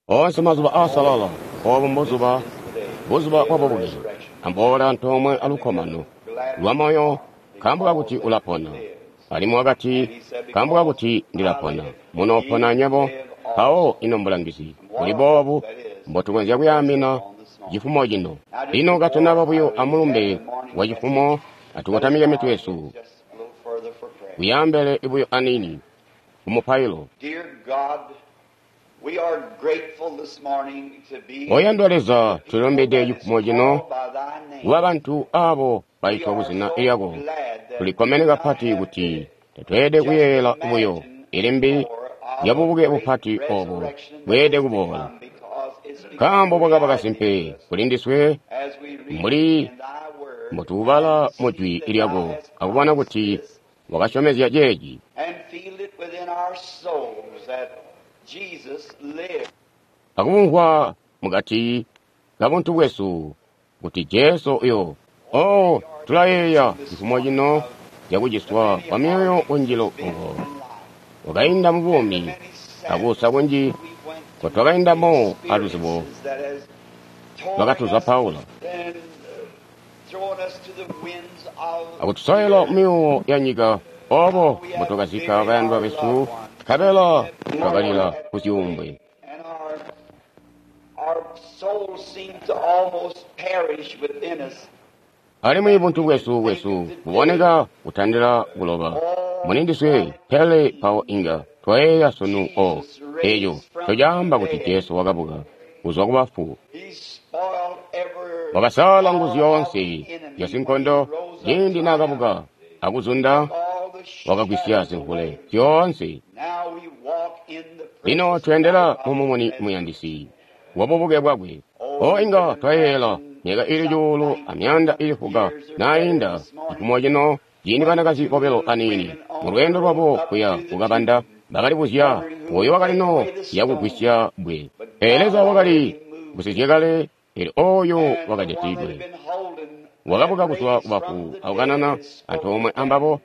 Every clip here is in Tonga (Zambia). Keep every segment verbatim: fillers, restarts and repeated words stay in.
Oonse mazuba aasalala, oobu mbuzuba, buzuba bwabubuke. Amboola antoomwe alukkomano lwamoyo nkaambo kakuti ulapona. Alimwi wakati, nkaambo kakuti ndilapona, munoopona nywebo. Mpawo ino mbulangizi buli boobu mbotukonzya kuyaamina cifumo cino. Lino katunaba buyo amulumbe wa cifumo, atukotamike mitwe yesu kuyaambele buyo aniini kumupailo. Oyandwa Leza, tulilumbide cifumo cino kuba bantu aabo baitwa kuzina lyako. Tulikkomene kapati kuti tatweelede kuyeeyela buyo ilimbi lyabubuke bupati oobo bweelede kuboola, nkaambo bwakaba kasimpe kulindiswe mbuli mbotuubala mu Jwi lyako akubona kuti wakasyomezya ceeci. Akubumvwa mukati kabuntu bwesu kuti Jesu uyo. Oh, tulayeeya cifumo cino zyakuciswa kwa myoyo kunjilo oko wakainda mubuumi akuusa kunji nkotwakaindamo aluzibo lwakatuzapaula akutusowela mumyuwo ya nyika oobo mbotwakazikka bayandwa besu, nkabela twakalila kuzyuumbwe. Alimwi buntu bwesu bwesu buboneka kutandila kuloba mulindiswe, pele mpawo inga twayeeya sunu o eeco ncocaamba kuti Jesu wakabuka kuzwa kubafu. Wakasaala nguzu zyoonse zyasinkondo ciindi naakabuka akuzunda, wakagwisya zimvule zyoonse. Lino tweendela mumumuni muyandisi wabubuke bwakwe. O inga twayeeyela myaka ili cuulu amyaanda ili fuka naayinda cifumo cino ciindi banakazi bobilo aniini mulweendo lwabo kuya kukabanda bakalibuzya oyo wakalino yakugwisya bbwe. Pele Leza wakali gusizye kale, pele oyo wakajatidwe wakabuka kuzwa kubafu akukanana antoomwe ambabo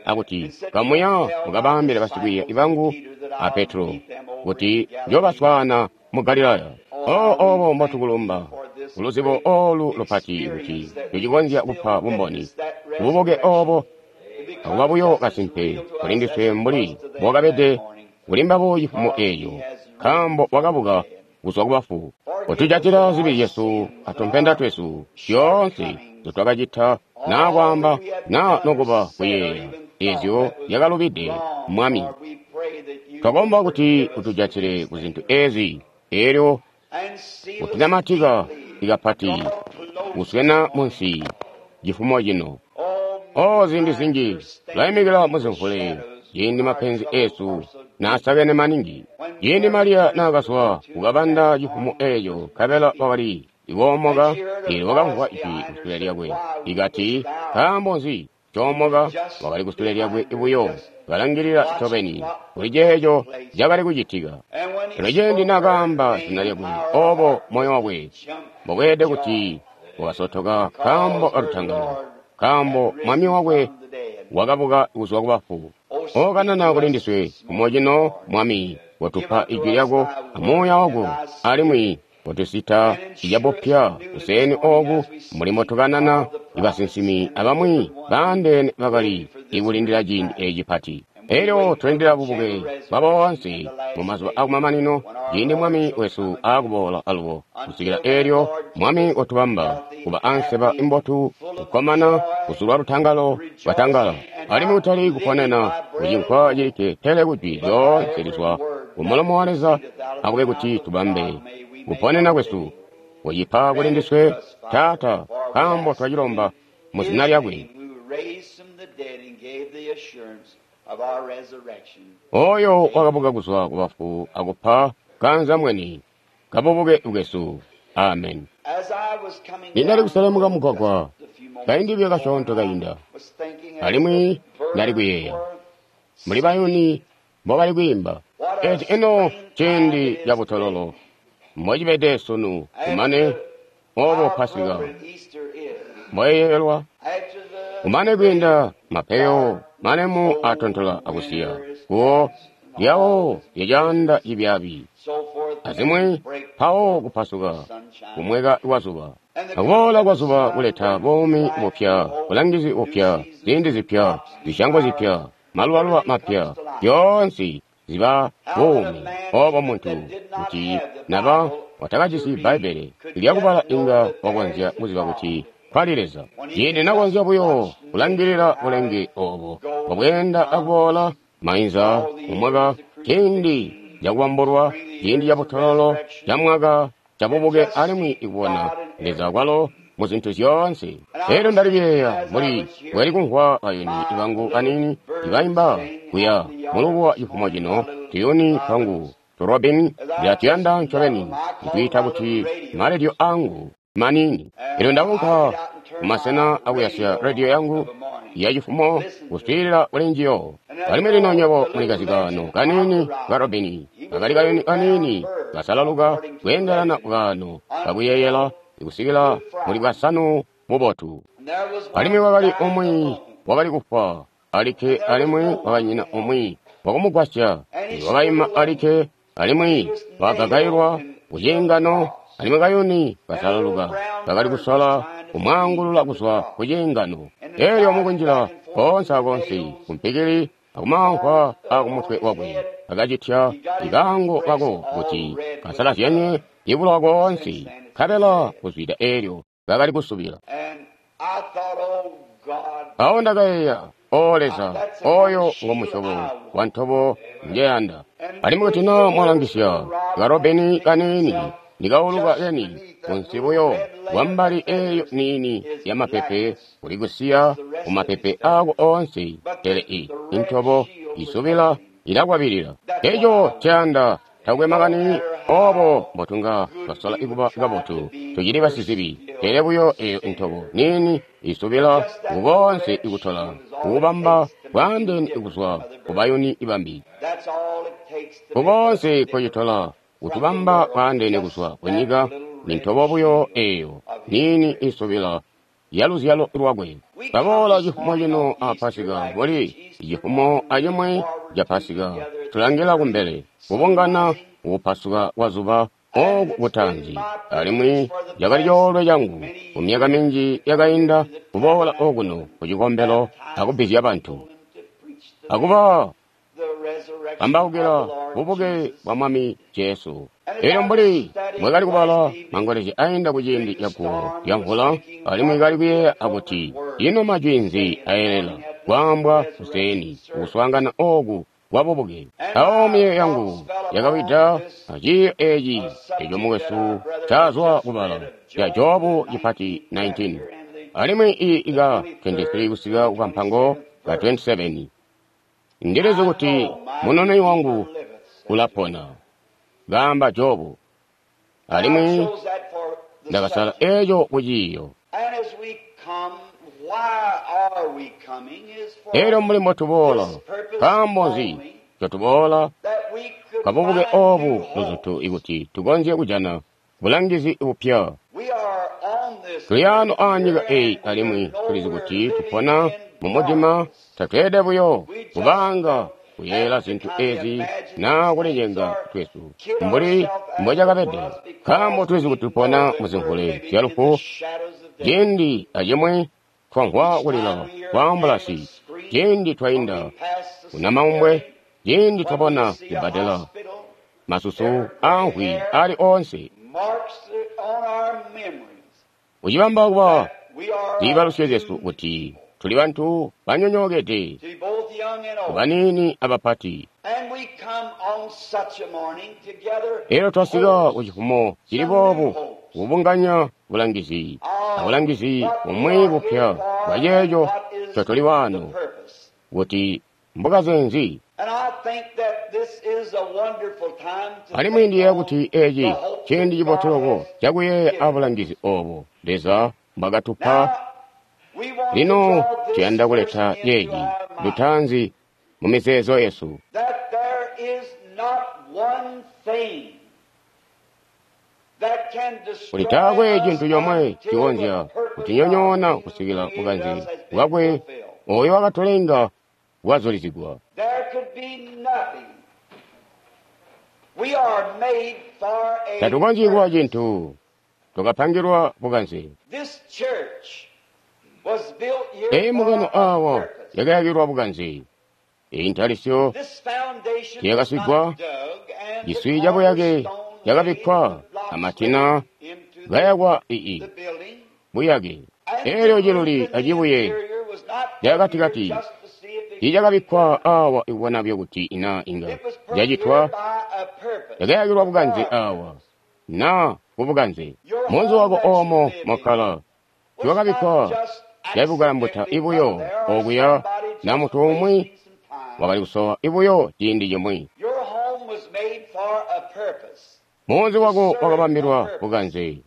akuti, kamuya mukabaambile basikwiiya bangu a Petro kuti njoobaswaana mu Galilaya. O oobo mbotukulumba kuluzibo oolu lupati kuti tucikonzya kupa bumboni kububuke oobo akuba buyo kasimpe kulindiswe mbuli mbokabede kuli mbabo cifumo eeco, nkaambo wakabuka kuzwa kubafu. Kotujatila zibi zyesu atumpenda twesu zyoonse nzotwakacita naa kwaamba naa nokuba kuyeeya eezyo zyakalubide. Mwami, twakomba kuti utujatile kuzintu eezi, eelyo utunamatika ikapati kuswena munsi cifumo cino. O ziindi zinji tulaimikila muzimvule ciindi mapenzi eesu naasakene maningi. Ciindi Mariya naakazwa kukabanda cifumo eeco, nkabela wakali ikoomoka, eelyo wakamvwa ijwi kusule lyakwe ikati, nkaambo nzi coomoka? Wakali kusule lyakwe buyo kalangilila ncobeni kuli ceeco cakali kucitika. Pele ciindi naakaamba zina lyakwe, oobo moyo wakwe mbokweelede kuti wakasotoka nkaambo kalutangalo, nkaambo mwami wakwe wakabuka kuzwa kubafu. O kanana kulindiswe cifumo cino, Mwami, kotupa ijwi lyako amuuya wako, alimwi kotusita icabupya kuseeni ooku mbuli mbotukanana ibasinsimi abamwi baandeene bakali ikulindila ciindi eeci cipati. Elyo tulindila bubuke bwa boonse mumazuba akumamanino ciindi Mwami wesu aakuboola alubo. Kusikila eelyo, Mwami watubamba kuba anseba imbotu, kukkomana, kuzulwa lutangalo lwatangala, alimwi kutali kuponena kucinkwa cilikke, pele kujwi lyoonse lizwa kumulomo wa Leza. Akube kuti tubambe kuponena kwesu kucipa kulindiswe, Taata, nkaambo twacilomba muzina lyakwe. Oyo wakabuka kuzwa kubafu akupa kanzamweni kabubuke bwesu. Amen. Nindali kuselemuka mugwagwa kaindi buyo kasyoonto kainda, alimwi ndali kuyeeya mbuli bayuni mbobali kwiimba. Eci ino ciindi cabutololo mbocibede sunu, kumane oobo Pasika mboyeeyelwa, kumane kwiinda mapeyo malemu atontola akusiya kuwo lyawo lyacaanda cibyaabi. azimwi, mpawo kupasuka kumweka kwazuba. Akuboola kwazuba kuleta buumi bupya, bulangizi bupya, ziindi zipya, zisyango zipya, malubaluba mapya, zyoonse ziba buumi. Obo muntu kuti naba watakajisi Bbaibbele lyakubala inga wakonzya kuziba kuti kwali Leza. Ciindi nakonzya buyo kulangilila bulenge obo bwabweenda akuboola mainza mumwaka, ciindi cakubambulwa, ciindi cabutololo, camwaka, cabubuke, alimwi ikubona Leza kwalo muzintu zyoonse. Elyo ndali kuyeeya mbuli bwali kumvwa bayuni bangu baniini ibaimba kuya mulubuwa cifumo cino, tuyuni twangu turobini ndilatuyanda ncobeni, ntwiita kuti maledio angu maniini. Elyo ndaunka kumasena akuyasya rediyo yangu ya cifumo kuswiilila kuli njiyo. Alimwi lino nywebo mulikazi kaano kaniini ka robini, kakali kayuni kaniini kasalaluka kweendelana kaano kakuyeeyela kusikila muli bwasanu bubotu. Alimwi wakali umwi wakali kufwa alikke, alimwi wakanyina umwi wakumugwasya. Wakaima alikke, alimwi wakagagailwa kuciingano, alimwi kayuni kasalaluka kakali kusola kumwaangulula kuzwa kuciingano. Elyo mukunjila koonse akoonse kumpikili akumamvwa akumutwe wakwe, akacitya ikaango kako kuti kasalazyanye ibulowa koonse, nkabela kuzwida eelyo kakali kusubila. Awo ndakayeeya, O Leza, oyo ngo musyobo wa ntobo njeyanda. Alimwi kuti na mwalangisya karobeni kaniini ndikauluka keni kunsi buyo kwambali eeyo niini ya mapepe kuli kusiya kumapepe ako oonse, pele i intobo isubila ilakwabilila. Eco ceyanda takwe makani obo mbotunga twasola ikuba kabotu, tucili basizibi, pele buyo eyo intobo niini isubila kukonse ikutola kukubamba bwaandeene kuzwa kubayuni ibambi. Kukonse kocitola kutubamba bwaandeene kuzwa kunyika nintobo buyo eyo niini isubila yaluzyalo lwakwe. Baboola cifumo cino a Pasika mbuli cifumo acimwi ca Pasika, tulangila kumbele kubungana kupasuka kwazuba oku kutaanzi. Alimwi cakali coolwe cangu kumyaka minji yakainda kuboola okuno kucikombelo akubbizya bantu akuba kambaukila bubuke bwa Mwami Jesu. Elyo mbuli mwakali kubala mangolezya ainda kuciindi caguwo lya mvula, alimwi kali kuyeeya akuti ino majwi nzi ayelela kwaambwa kuseeni kuswaangana oku kwa bubuke. Awo miyeeyo yangu yakawida aciiyo eci eco mukwesu cazwa kubala ca Jobu cipati nineteen, alimwi iyi ika twenty-three kusika kukampango ka twenty-seven. Ndilizi kuti munoni wangu ulapona, kaamba Jobu, alimwi ndakasala eco kuciiyo. Elyo mbuli mbotuboola, nkaambo nzi ncotuboola kabubuke obu luzutu ikuti tukonzye kujana bulangizi bupya. Tuli ano aanyika eyi, alimwi tulizi kuti tupona mumudima. Tatweelede buyo kubanga kuyeeyela zintu ezi naa kulicenga twesu mbuli mbocakabede, nkaambo tulizi kuti tupona muzimvule zyalufu. Ciindi acimwi twamvwa kulila kwa ambulasi, ciindi twainda kunamaumbwe, ciindi twabona cibbadela, masusu aamvwi ali oonse, kucibamba kuba ziibalusyo zyesu kuti tuli bantu banyonyookede, baniini abapati. Elyo twasika kucifumo cili boobu kubunganya bulangizi abulangizi bumwi bupya bwa ceeco ncotuli waano kuti mbukaze nzi. Alimwi ndiyeeya kuti eci ciindi cibotu loko cakuyeeya abulangizi obo Leza mbwakatupa. Lino tuyanda kuleta ceeci lutaanzi mu mizeezo yesu, kuti taakwe cintu comwe cikonzya kutinyonyoona kusikila bukanze bwakwe oyo wakatulenga bwazulizigwa. Tatukonzyi kuba cintu. Twakapangilwa bukanze. Eyi mbungano awa yakayakilwa bukanze. Eyi ntalisyo tiyakasigwa, ciswi cabuyake cakabikkwa amatina kayakwa ii buyake. Elyo ciluli acibuye cakatikati tiicakabikkwa awa ikubona buyo kuti ina inga cacitwa, cakayakilwa bukanze awa na kubukanze. Munzi wako oomo mwakkala tiwakabikkwa cabukambuta ibuyo okuya na muntu umwi wakali kusowa ibuyo ciindi cimwi. Munzi wako wakabambilwa bukanze,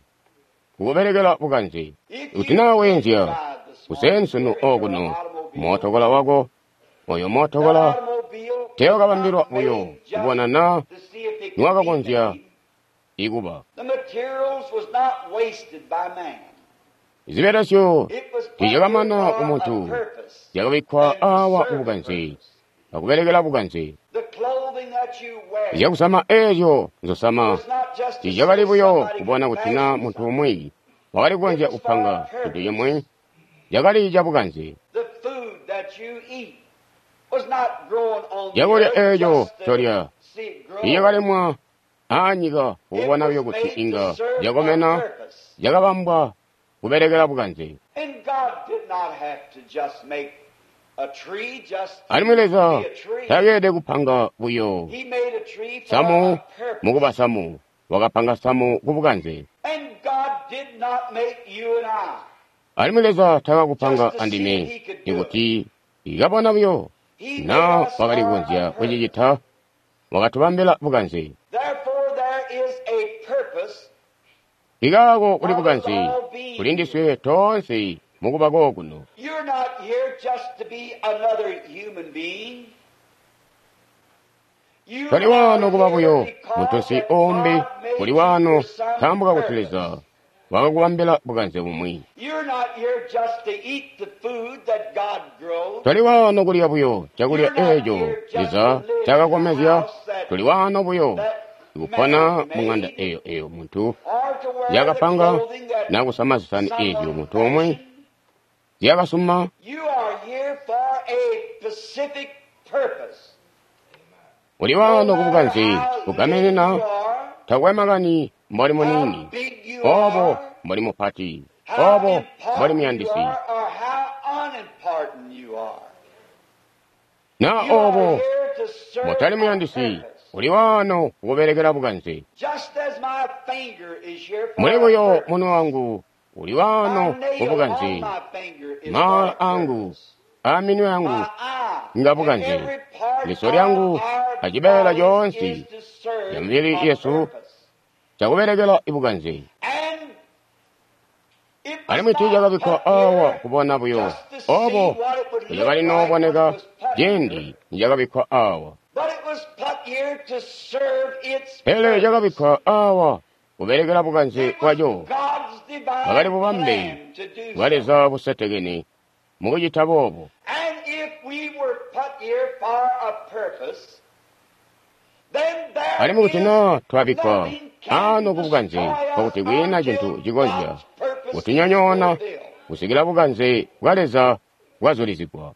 kukubelekela bukanze. Kuti naa weenzya kuseeni sunu okuno mootokola wako, oyo mootokola teewakabambilwa buyo kubona naa niwakakonzya ikuba. Zibelesyo tiizyakamana kumuntu, zyakabikkwa awa kubukanze akubelekela bukanze. Zyakusama eezyo nzosama tiizyakali buyo kubona kuti naa muntu umwi wakali kukonzya kupanga cintu cimwi, cakali cabukanze. Cakulya eeco ncolya tiicakalimwa aanyika kukubona buyo kuti inga cakomena, cakabambwa kubelekela bukanze. Alimwi Leza takeelede kupanga buyo samu mukuba samu, wakapanga samu kubukanze. Alimwi Leza takakupanga andime ikuti ikabona buyo na wakali kukonzya kucicita, wakatubambila bukanze. Ikaako kuli bukanze kuli ndiswe toonse mukuba kokuno. Toli waano kuba buyo muntunsi uumbi, uli waano nkaambo kakuti Leza wakakubambila bukanze bumwi. Toli waano kulya buyo cakulya eeco Leza ncaakakomezya, toli waano buyo kupona mung'anda eyo eyo muntu yakapanga na kusama zisani eezyo muntu umwi zyakasuma. Uli waano kubukanze kugamenena, takwe makani mboli muniini, obo mboli mupati, obo mboli muyandisi, na obo mutali muyandisi, uli waano kukubelekela bukanze. Muli buyo munwe wangu uli waano kubukanze, maala angu aminwe yangu nga bukanze, liso lyangu acibeela coonse ca mibili yesu cakubelekela ibukanze. Alimwi tiicakabikkwa awa kubona buyo obo icakali nooboneka ciindi nicakabikkwa awa, pele cakabikkwa awa kubelekela bukanze bwaco. Bwakali bubambe bwa Leza busetekene mukucita boobo. Alimwi kuti naa twabikkwa ano kubukanze, nkokuti kwiina cintu cikonzya kutunyonyoona kusikila bukanze bwa Leza bwazulizigwa.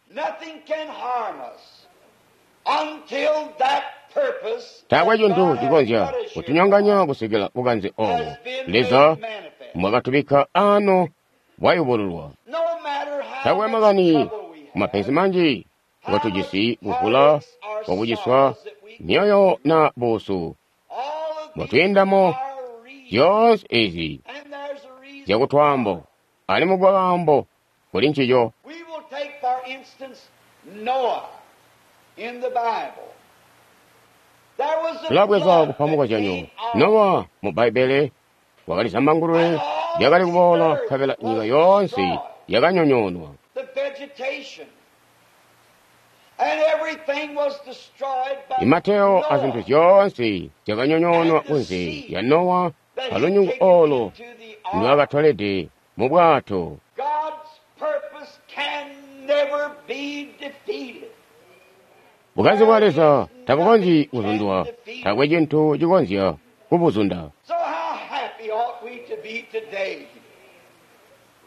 Taakwe cintu cikonzya kutunyonganya kusikila bukanze oobo Leza mbwakatubikka ano bwayubululwa. Taakwe makani mapenzi manji ngotujisi, kuvula kwakuciswa myoyo na buusu mbotwiindamo, zyoonse ezi zyakutwaambo alimwi bwakaambo kuli ncico. Tulabweza kupa mukozyanyo Nowa mu Bbaibbele wakali zambangulwe lyakali kuboola nkabela nyika yoonse yakanyonyoonwa. Imateo azintu zyoonse zyakanyonyoonwa kunze lya Nowa alunyungu oolo ndwaakatolede mu bwato. Bukanze bwa Leza tabukonzyi kuzundwa, taakwe cintu cikonzya kubuzunda. So how happy ought we to be today,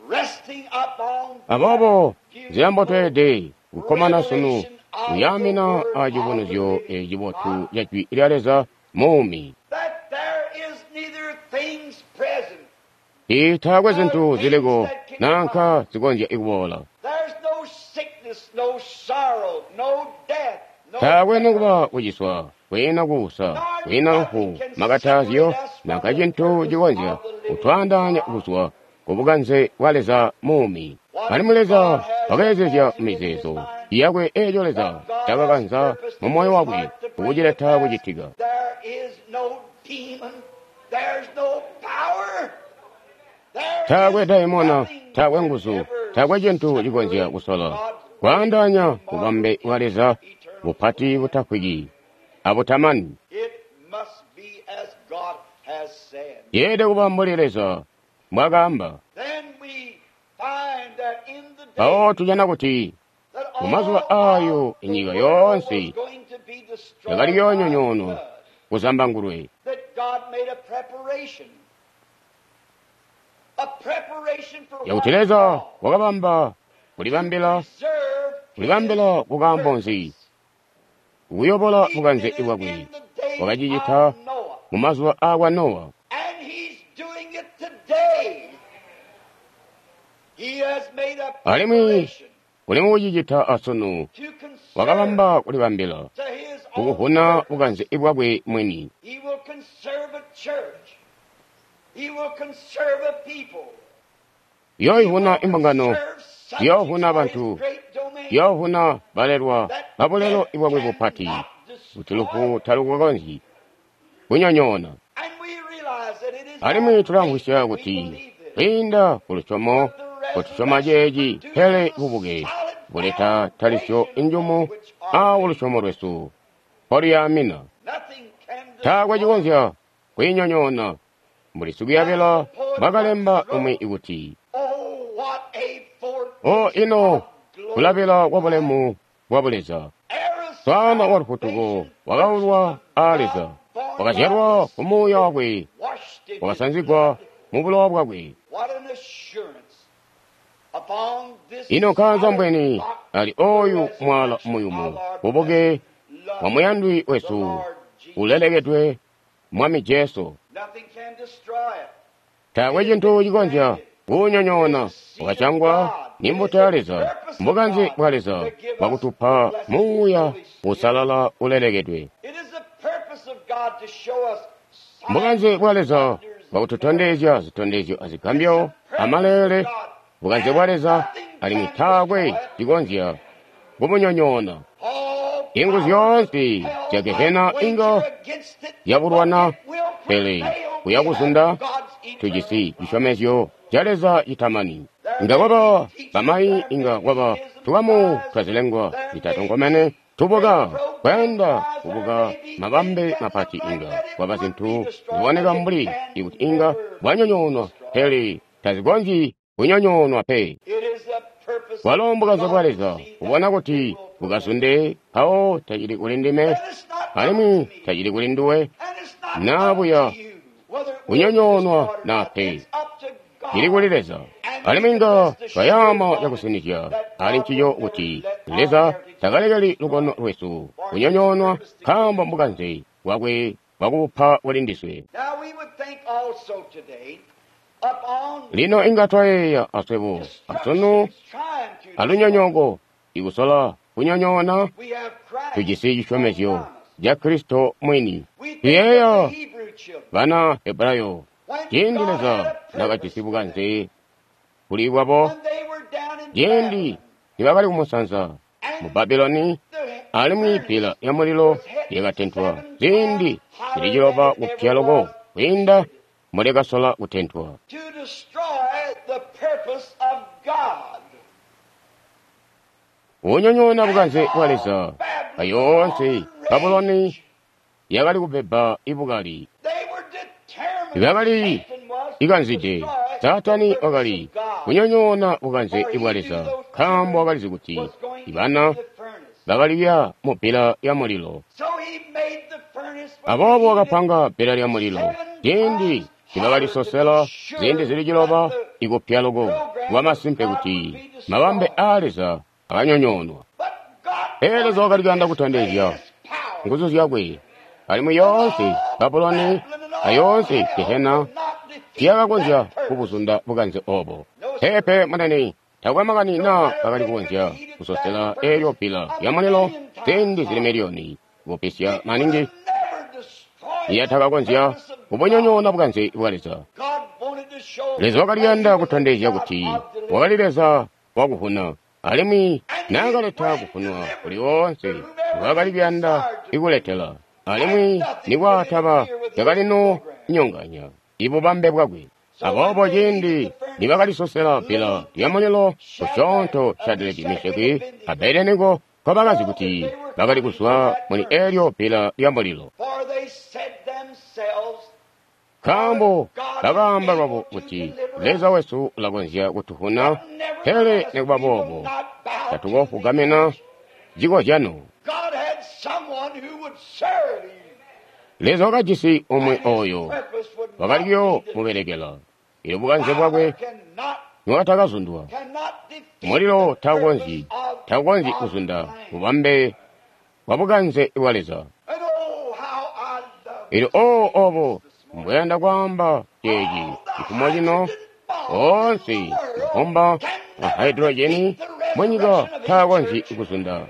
resting upon Aboobo nzila mbotweelede kukkomana sunu kuyaamina acibonezyo ecibotu ca Jwi lya Leza muumi. that there is neither things present, Taakwe zintu ziliko nanka zikonzya kuboola. there's no sickness, no sorrow, no death, no Taakwe nokuba kuciswa, kwiina kuusa, kwiina lufu, makatazyo, nanka cintu cikonzya kutwaandaanya kuzwa ku bukanze bwa Leza muumi. Alimwi Leza wakayeezezya mizeezo yakwe eeco Leza cakakanza mu moyo wakwe kukucileta kucitika. There is no demon, there's no power. There Taakwe is daimona, nothing taakwe can nguzu, ever taakwe cintu cikonzya kusola separate kwaandaanya God's bubambe bwa Leza eternal bupati butafwiki abutamani. It must be as God has said. Yeelede kuba mbuli Leza mbwakaamba. Then we find that in the Mpawo day tujana kuti that mu mazuba all aayo of the inyika world yoonse was going to be destroyed yakali by yoonyonyoonwa flood, kuzambangulwe, that God made a preparation. A preparation for yakuti what Leza God wakabamba kulibambila preserved kulibambila his kukaambo nzi purpose. kuyobola He bukanze did it bwakwe in the days wakacicita of Noah, mu mazuba aakwa Nowa. and he's doing it today. He has made a Alimwi preparation uli mukucicita asunu to conserve wakabamba kulibambila to his own kukuvuna purpose. bukanze bwakwe mwini. He will conserve a church. He will conserve a people. He will Yooivuna imbungano, conserve subjects yoovuna for his bantu, great domain yoovuna balelwa that babulelo death bwakwe bupati cannot kuti lufu destroy. talukukonzyi kunyonyoona. And we realize that it is Alimwi by faith tulamvwisya that we kuti believe this. kwiinda ku lusyomo That the kotusyoma resurrection ceeci pele produces a bubuke solid buleta talisyo foundation njumu on which our a faith. lusyomo lwesu mpoluyaamina. Nothing can Taakwe destroy. cikonzya kuyinyonyoona mbuli As sikuyabila the poet once mbwakalemba umwi wrote, kuti, Oh, what a O foretaste ino of glory kulabila kwa divine. bulemu bwa buleza Era swana wa lufutuko salvation wakaulwa purchased of a God, Leza, born by wakazyalwa the ku Muuya Spirit, wakwe, washed in His wakasanzigwa blood. mu bulowa bwakwe. What an assurance upon this Ino nkaanza solid mbweni rock, ali the oyu mwala resurrection, our muyumu Lord bubuke blessed, bwa loved muyandwi the wesu Lord Jesus. ulelekedwe Mwami Jesu. Nothing can destroy it. Taakwe It has cintu been cikonzya planted. It is kuwunyonyoona the seed of wakacangwa God. ni It is mbuto ya the Leza, purpose of mbukanze God bwa Leza to give us the bwakutupa blessed Muuya Holy Spirit. usalala ulelekedwe. It is the purpose of God to show us signs, Mbukanze bwa Leza wonders, and miracles. bwakututondezya zitondezyo It's the azigambyo purpose of amalele. God, Bukanze bwa and Leza nothing alimwi can taakwe destroy it. cikonzya kumunyonyoona. All Inguzu powers of zyoonse hell zya might Gehena inga wager against it, but yabulwana, it will pele prevail. We kuya have kuzunda God's eternal tujisi promise. cisyomezyo ca Leza citamani. There Inga may kwaba be teachers, bamayi, there may inga be kwaba isms, tukamu guys, twazilengwa there may zitatonkomene be tubuka great programs, kwenda guys, there kubuka may be things mabambe that look mapati like inga that it kwaba would be zinthu destroyed, ziboneka but it mbuli can ikuti inga never be bwanyonyoonwa destroyed. pele tazikonzyi kunyonyoonwa pe. It is the purpose of Walo mbukanze bwa God to Leza see that kubona it kuti will prevail. bukazunde mpawo tacili kuli ndime And it's not up to alimwi me, tacili kuli nduwe and it's not naa up to buya you whether it will be kunyonyoonwa destroyed or naa not. pe It's up to cili kuli God. Leza. And we Alimwi can inga rest assured twayaama on it cakusinizya that ali God ncico will never kuti let our Leza heritage be takalekeli lukono destroyed lwesu for his kunyonyoonwa purpose to give nkaambo it. mbukanze bwakwe bwakubupa kuli ndiswe. Now we would think also today upon Lino inga twayeeya aswebo asunu destruction trying to destroy. alunyonyooko ikusola kunyonyoona We have Christ tujisi on cisyomezyo promise. ca Kristo mwini. We think of Tuyeeya the Hebrew children bana Hebrayo when ciindi God had Leza a purpose nakajisi for them, bukanze kuli bwabo when they were down in ciindi Babylon nibakali kumusanza mu and Babuloni the alimwi furnace pila ya mulilo was hit yakatentwa seven ziindi times zili hotter ciloba than it kupya ever loko was kwiinda before mulekasola kutentwa. to destroy the purpose of God. Unyonyoona And bukanze bwa all Leza Babylon ayoonse Babuloni rage. yakali kubeba ibukali They were determined, bakali Satan was, to ikanzide destroy the Saatani purpose wakali of God. kunyonyoona bukanze For he bwa knew Leza those nkaambo children wakalizi kuti was going ibana into the furnace. bakaliya mu bbila lya mulilo. So he made the furnace when Aboobo he wakapanga bbila lya mulilo ciindi nibakalisosela ziindi zili ciloba ikupya loko lwamasimpe kuti mabambe aa Leza akanyonyoonwa. But God Pele Leza wakali kuyanda kutondezya his power. nguzu zyakwe alimwi yoonse Babuloni ayoonse Gehena tiyakakonzya kubuzunda bukanze obo. Peepe munene, takwe makani naa bakali kukonzya kusosela eelyo bbila lya mulilo ziindi zili miliyoni kupisya maningi Never destroy yatakakonzya kubunyonyoona bukanze bwa Leza. God wanted to show Leza wakali kuyanda kutondezya kuti wakali Leza wakuvuna alimwi naakaleta kuvunwa kuli woonse ngwaakali kuyanda ikuletela alimwi nikwaataba cakalino nyonganya ibubambe bwakwe. Aboobo ciindi nibakalisosela bbila lya mulilo kusyoonto Shadireki, Mesheki a Abednego nkobakazi kuti bakali kuzwa muli eelyo bbila lya mulilo. For they said themselves, Nkaambo bakaamba lwabo kuti Leza wesu ulakonzya kutuvuna, pele nikuba boobo not bow. tatukofugamina cikozyano. God had someone who would serve him. Leza wakajisi umwi oyo Purpose would not wakali be kuyoomubelekela. Eelyo bukanze bwakwe cannot niwatakazundwa. cannot defeat Mulilo the taukonzyi purpose of taukonzyi God's kuzunda plan. bubambe bwa bukanze bwa Leza. And oh, how I love Eelyo oo obo mbweyanda kwaamba ceeci cifumo cino oonse mabomba a haidrojeni munyika taakonzyi kuzunda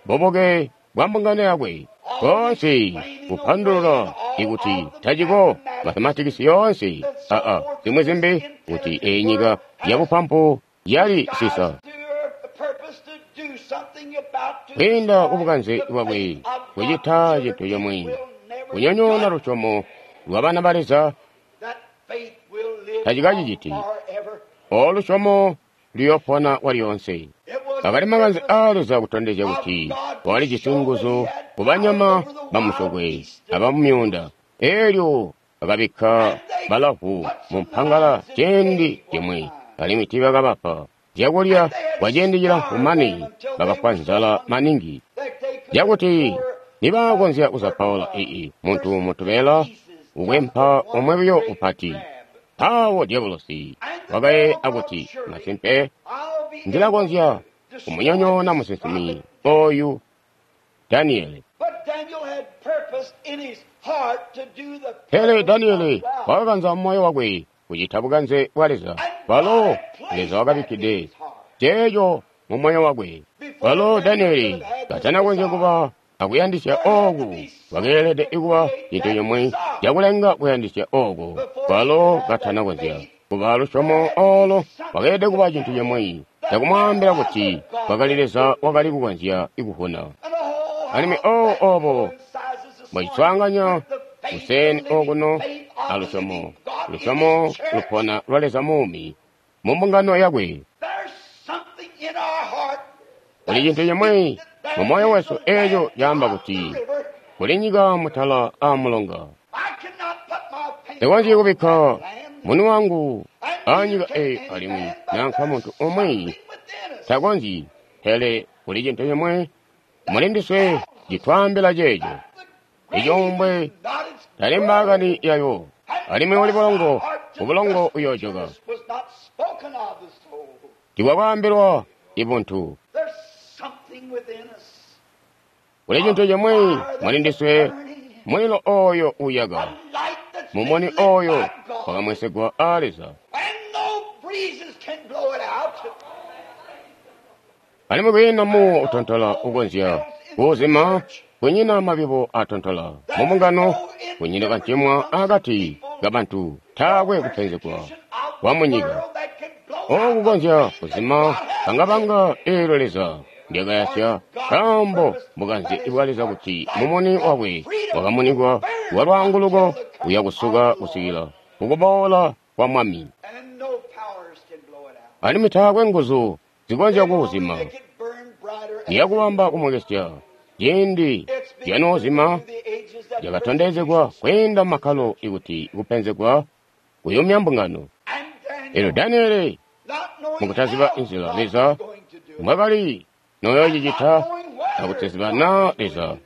bubuke bwa mbungano yakwe. Koonse kupandulula ikuti taciko mathematics yoonse aa zimwi zimbi kuti eyi nyika yabupampu yali sisa. to her purpose to do something about to Kwiinda kubukanze destroy the bwakwe faith of kucita God's cintu children chomwe will never kunyonyoona judge. lusyomo lwa bana ba Leza That faith will live tacikaciciti. on forever. Olusyomo luyopona kwalyonse. It was Akali the makanze purpose aa Leza kutondezya kuti walijisi nguzu kubanyama bamusyokwe abamumyuunda. Eelyo bakabikka balavu mu mpangala ciindi cimwi, alimwi tiibakabapa zyakulya kwa ciindi cilamfu mane bakafwa nzala maningi. that they could Cakuti pour nibaakonzya kuzapaula ii muntu mutubela ukwempa omwe buyo upati. Mpawo Diabolosi wakaye akuti masimpe I'll be ndilakonzya kumunyonyoona musinsimi oyu Daniele. But Daniel had purpose in his heart to do the Pele purpose Daniele of God. wakakanza mumoyo wakwe kucita bukanze bwa Leza. Walo Leza wakabikkide ceeco mu moyo wakwe. Walo Daniele katanakonzya kuba akuyandisya ooku wakeelede kuba cintu cimwi cakulenga kuyandisya ooku. Walo katanakonzya kuba lusyomo oolo wakeelede kuba cintu cimwi cakumwaambila kuti kwakali Leza wakali kukonzya kuvuna. And oh, Alimwi how oo that obo coincides this mwaciswaanganya morning with the faith, kuseni the living okuno faith of the alusyomo living God in lusyomo His church. lupona lwa Leza muumi mu mbungano yakwe. There's something in our heart Kuli cintu cimwi mu moyo wesu eeco caamba kuti kuli nyika mutala aa mulonga. I cannot put my finger Ndikonzyi on kubikka that land, munu wangu and aa neither nyika can eyi any alimwi man, but nanka there's muntu umwi something within us takonzyi, pele kuli cintu cimwi muli ndiswe citwaambila ceeco. The Eco mbwe grave is not its tali mbaakani yayo, alimwi uli bulongo, ubulongo uyoojoka. was not spoken of the soul. Tikwakwaambilwa ibuntu. There's something within us. Kuli cintu cimwi muli ndiswe mulilo oyo uyaka, A light that's been mumuni lit oyo by God, wakamwesegwa aa Leza. and no breezes can blow it out. Alimwi kwiina muwo utontola ukonzya kuuzima, kunyina mabibo atontola mu mbungano, kunyina kancimwa akati kabantu, taakwe kupenzegwa kwa munyika. Okukonzya kuzima bangabanga eelyo Leza ndyakayasya, nkaambo bukanze bwa Leza kuti mumuni wakwe wakamunikwa wa lwaanguluko uya kusuka kusikila kukuboola kwa Mwami. And no powers can blow it out. Alimwi taakwe nguzu zikonzya kuuzima. They could burn brighter as Liyakubamba kumwekesya ciindi It's been lyanoozima through the ages that lyakatondezegwa kwiinda makkalo ikuti kupenzegwa kuyumya mbungano. And Eelyo Daniel, Daniele not knowing mukutaziba how inzila God Leza was going to do it, mwakali noyoocicita, akutaziba naa Leza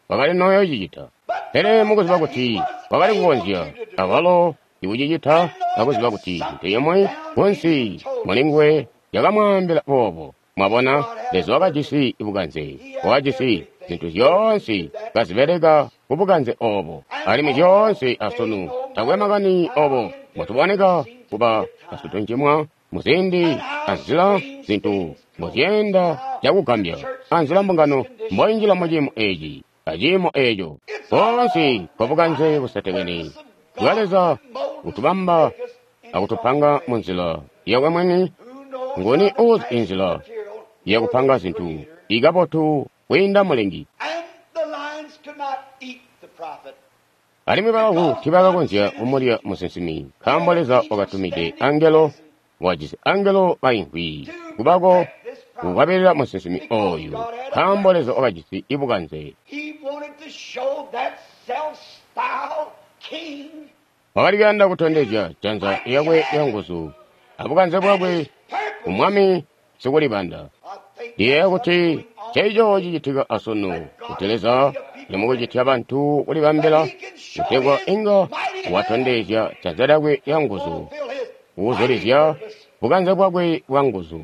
wakali noyoocicita. Pele mukuziba kuti wakali kukonzya awalo ikucicita, akuziba kuti cintu cimwi kunsi mulinguwe yakamwaambila boobo. Mwabona, Leza wakajisi bukanze, wakajisi zintu zyoonse kazibeleka ku bukanze obo. Alimwi zyoonse asunu takwe makani obo mbotuboneka kuba basitunjimwa muziindi anzila zintu mbozyeenda cakugambya, anzila mbungano mboinjila muciimo eci aciimo eco. Koonse kwa bukanze busetekene bwa Leza kutubamba akutupanga munzila yakwe mwini. Nguni uzi inzila yakupanga zintu ikabotu kwiinda Mulengi? Alimwi balavu tiibakakonzya kumulya musinsimi, nkaambo Leza wakatumide angelo, wajisi angelo baimvwi kubako kukwabilila musinsimi oyu, nkaambo Leza wakajisi ibukanze. Wakali kuyanda kutondezya janza lyakwe lyanguzu abukanze bwakwe kumwami sikulibanda. Ndiyeeya kuti nceeco cicitika asunu, kuti Leza limukucitya bantu kulibambila kutegwa inga watondezya janza lyakwe lyanguzu, kuzulizya bukanze bwakwe bwanguzu.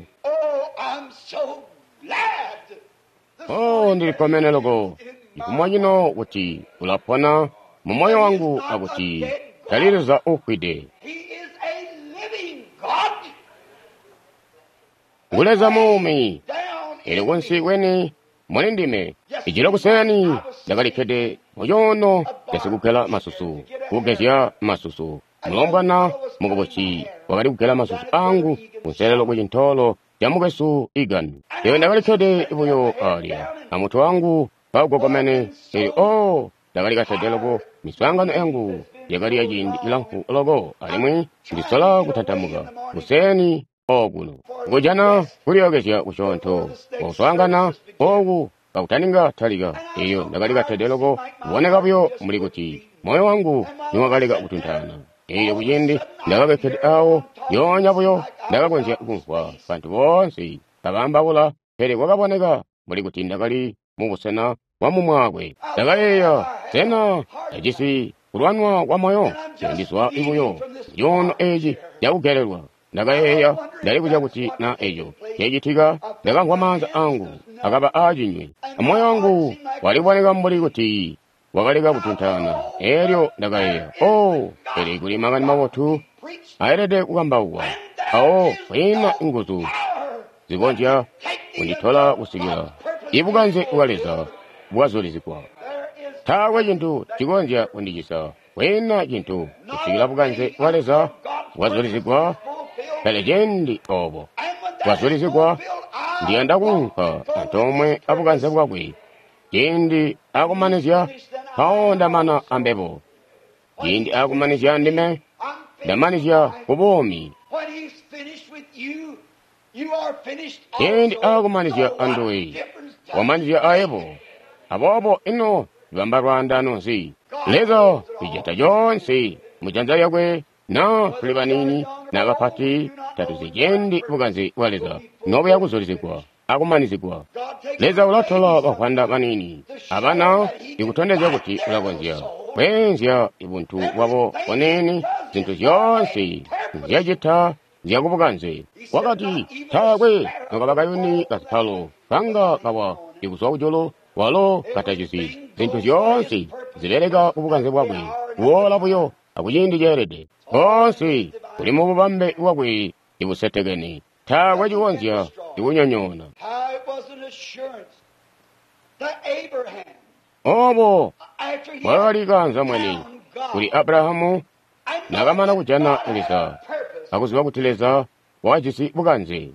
Oh, ndilikkomene loko cifumo cino kuti ulapona mu moyo wangu akuti tali Leza uufwide. Ngu Leza muumi, elyo kunsi kweni muli ndime. Ijilo kuseni ndakalikkede mucoono casikugela masusu, kugezya masusu. Mulombwana mukubusi wakali kugela masusu angu kunselelo ku cintoolo ca mukwesu Egan. Elyo ndakalikkede buyo alya amutwe wangu kaugogomene. Elyo oh, ndakali katede loko. Miswaangano yangu yakali ya ciindi cilamfu loko, alimwi ndisola kutantamuka kuseni okuno kujana kulyookezya kusyoonto kuswaangana oku kakutaninga talika. Elyo ndakali katede loko kuboneka buyo mbuli kuti moyo wangu niwakaleka kutuntaana. Elyo kuciindi ndakabekkede awo lyoonya buyo ndakakonzya kumvwa bantu boonse kabaambaula, pele kwakaboneka mbuli kuti ndakali mubusena bwa mumwaakwe. Ndakayeeya, sena ndajisi kulwanwa kwa moyo? Ndizwa buyo cuuno eci cakugelelwa. Ndakayeeya, ndalibuzya kuti na eco cecitika. Ndakamvwa maanza angu akaba aacinywe, amoyo wangu waliboneka mbuli kuti wakaleka kutuntaana. Elyo ndakayeeya, oh, pele kuli makani mabotu aelede kukambaukwa, awo kwiina nguzu zikonzya kunditola kusikila ibukanze bwa Leza bwazulizigwa. Taakwe cintu cikonzya kundicisa, kwiina cintu kusikila bukanze bwa Leza bwazulizigwa. Pele ciindi obo bwazulizigwa, ndiyanda kuunka antoomwe abukanze bwakwe. Ciindi akumanizya, mpawo ndamana ambebo. Ciindi akumanizya ndime, ndamanizya ku buumi. Ciindi akumanizya anduwe, wamanizya ayebo. Aboobo ino bamba lwaandano nzi? Leza wijata coonse mujanza lyakwe, naa tuli baniini na bapati, tatuzi ciindi bukanze bwa Leza nobuya kuzulizigwa akumanizigwa. Leza ulatola bavwanda baniini abana ikutondezya kuti ulakonzya kweenzya buntu bwabo buniini. Zintu zyoonse nzyacita nzyakubukanze. Wakati taakwe nokaba kayuni kasipalo kanga kawa ikuzwa kujulu walo katacizi. Zintu zyoonse zibeleka kubukanze bwakwe, kuwola buyo akuciindi ceelede. Koonse kuli mububambe bwakwe ibusetekene, taakwe cikonzya ikunyonyoona. Obo bwakali kanza mwene kuli Abrahamu nakamana kujana Leza akuziba kuti Leza wakajisi bukanze,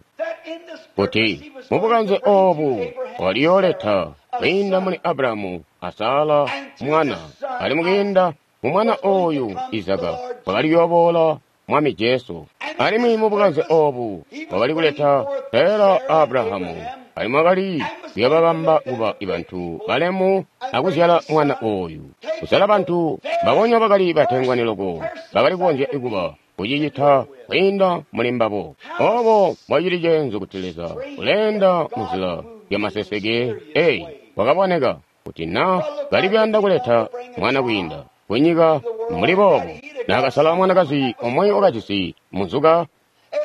kuti mubukanze obu waliyooleta kwiinda muli Abrahamu a Sara mwana, alimwi kwiinda mu mwana oyu Izaka wakali kuyooboola Mwami Jesu. Alimwi mubukanze obu wakali kuleta Sara Abrahamu, alimwi wakali kuyobabamba kuba bantu balemu akuzyala mwana oyu. Kuzyala bantu babonya bakali batengwani loko, bakali kukonzya kuba kucicita kwiinda muli mbabo. Obo mbwacili ceenzu kuti Leza uleenda munzila lyamaseseke eyi wakaboneka kuti na kali kuyanda kuleta mwana kwiinda kunyika mbuli boobo naakasala mwanakazi omwe wakajisi muzuka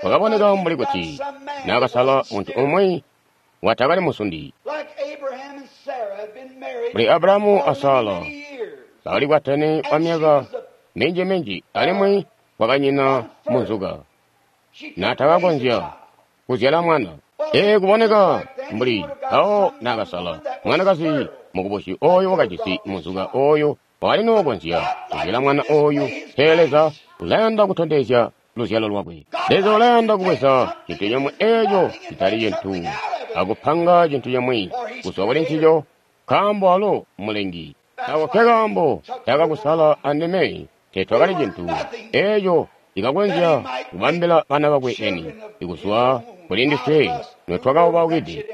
wakaboneka mbuli kuti naakasala muntu umwi watakali musundi mbuli Abrahamu a Sara bakali kwatene kwa myaka minji-minji alimwi kwakanyina muzuka naatakakonzya kuzyala mwana. Ee, kuboneka mbuli awo naakasala mwanakazi mukubusi oyo wakajisi muzuka oyo wakali nookonzya kuzyala mwana oyu. Pele Leza ulayanda kutondezya luzyalo lwakwe. Leza ulayanda kubweza cintu cimwi eeco citali cintu akupanga cintu cimwi kuzwa kuli ncico, nkaambo alo mulengi. Ako ke kaambo takakusala andime tetwakali cintu eeco cikakonzya kubambila bana bakwe eni ikuzwa kuli ndiswe notwakabaukide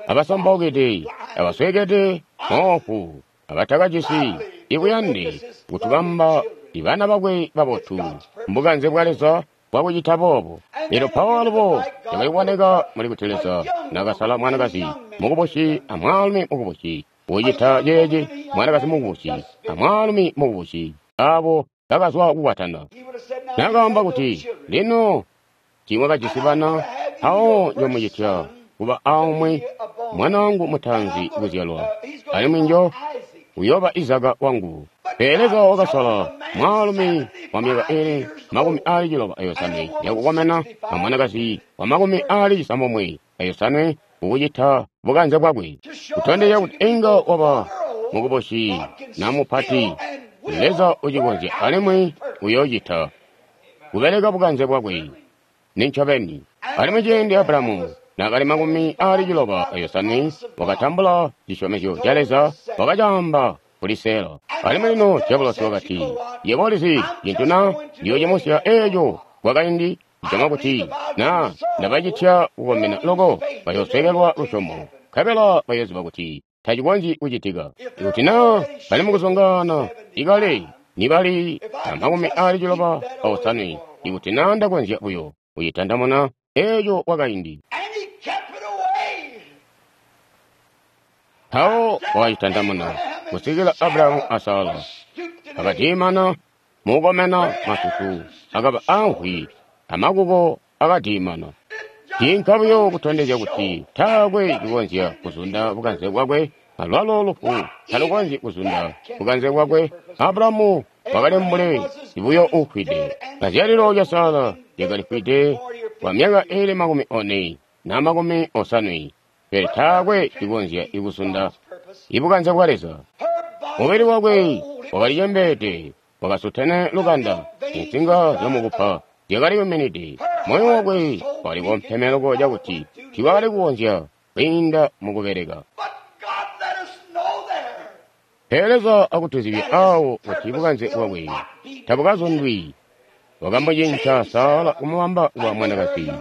abasambaukide abaswekede moofu abatakajisi ikuyande kutubamba ibana bakwe babotu mbukanze bwa Leza bwakucita boobo. Lino Paulo alubo cakali kuboneka muli kuti Leza nakasala mwanakazi mukubusi amwaalumi mukubusi kucita ceeci, mwanakazi mukubusi amwaalumi mukubusi abo bakazwa kukwatana. Nakaamba kuti lino tiimwakajisi bana, awo njomucitya kuba aumwi mwana wangu mutaanzi kuzyalwa, alimwi njo uyooba Izaka wangu. Pele Leza wakasala mwaalumi wa myaka ili makumi aali ciloba ayosanwe yakukomena a mwanakazi wa makumi aali cisambomwe ayosanwe kukucita bukanze bwakwe, kutondezya kuti inga waba mukubusi na mupati. Leza ucikonzya alimwi uyoocita kubeleka bukanze bwakwe nincobeni. Alimwi ciindi Abrahamu naakali makumi aali ciloba ayosanwe wakatambula cisyomezyo ca Leza, wakacaamba kuli Sara. Alimwi lino Diabolosi wakati, yebo ulizi cintu na ndiyoocimusya eeco kwakaindi icama kuti na ndabacitya kukomena loko bayooswekelwa lusyomo, nkabela bayooziba kuti tacikonzyi kucitika. Ikuti na bali mukuzongana ikale nibali na makumi aali ciloba aosanwe, ikuti na ndakonzya buyo kucitandamuna eeco kwakaindi. Mpawo wakacitandamuna kusikila Abrahamu a Sara akadiimana mukukomena masusu akaba amvwi amakuko akadiimana. Ciinka buyo kutondezya kuti taakwe cikonzya kuzunda bukanze bwakwe, alwalo lufu talukonzyi kuzunda bukanze bwakwe. Abrahamu wakali mbuli buyo uufwide. Kazyalilo lya Sara lyakalifwide kwa myaka ili makumi one na makumi osanwe, pele taakwe cikonzya kuzunda ibukanze bwa Leza. Mubili wakwe wakalicembeede, wakasutene lukanda, insinga zyamukupa zyakaliyuminide. Moyo wakwe wakali kompeme loko cakuti tiwakali kukonzya kwiinda mukubeleka. Pele Leza akutuzibya awo kuti bukanze bwakwe tabukazundwi. Wakamucinca Sara kumubamba kuba mwanakazi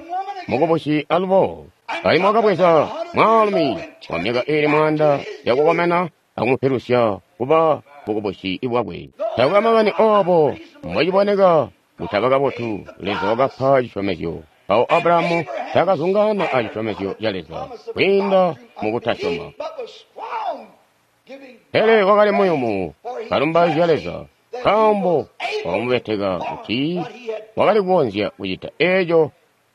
mukubusi alubo, alimwi wakabweza mwaalumi wa myaka ili mwaanda yakukomena akumupilusya kuba bukubusi bwakwe. Taakwe makani oobo mbociboneka kutaba kabotu, Leza wakapa cisyomezyo. Mpawo Abrahamu taakazungana a cisyomezyo ca Leza kwiinda mukutasyoma, pele wakali muyumu kalumbaizya Leza, nkaambo wakamubeteka kuti wakali kukonzya kucita eeco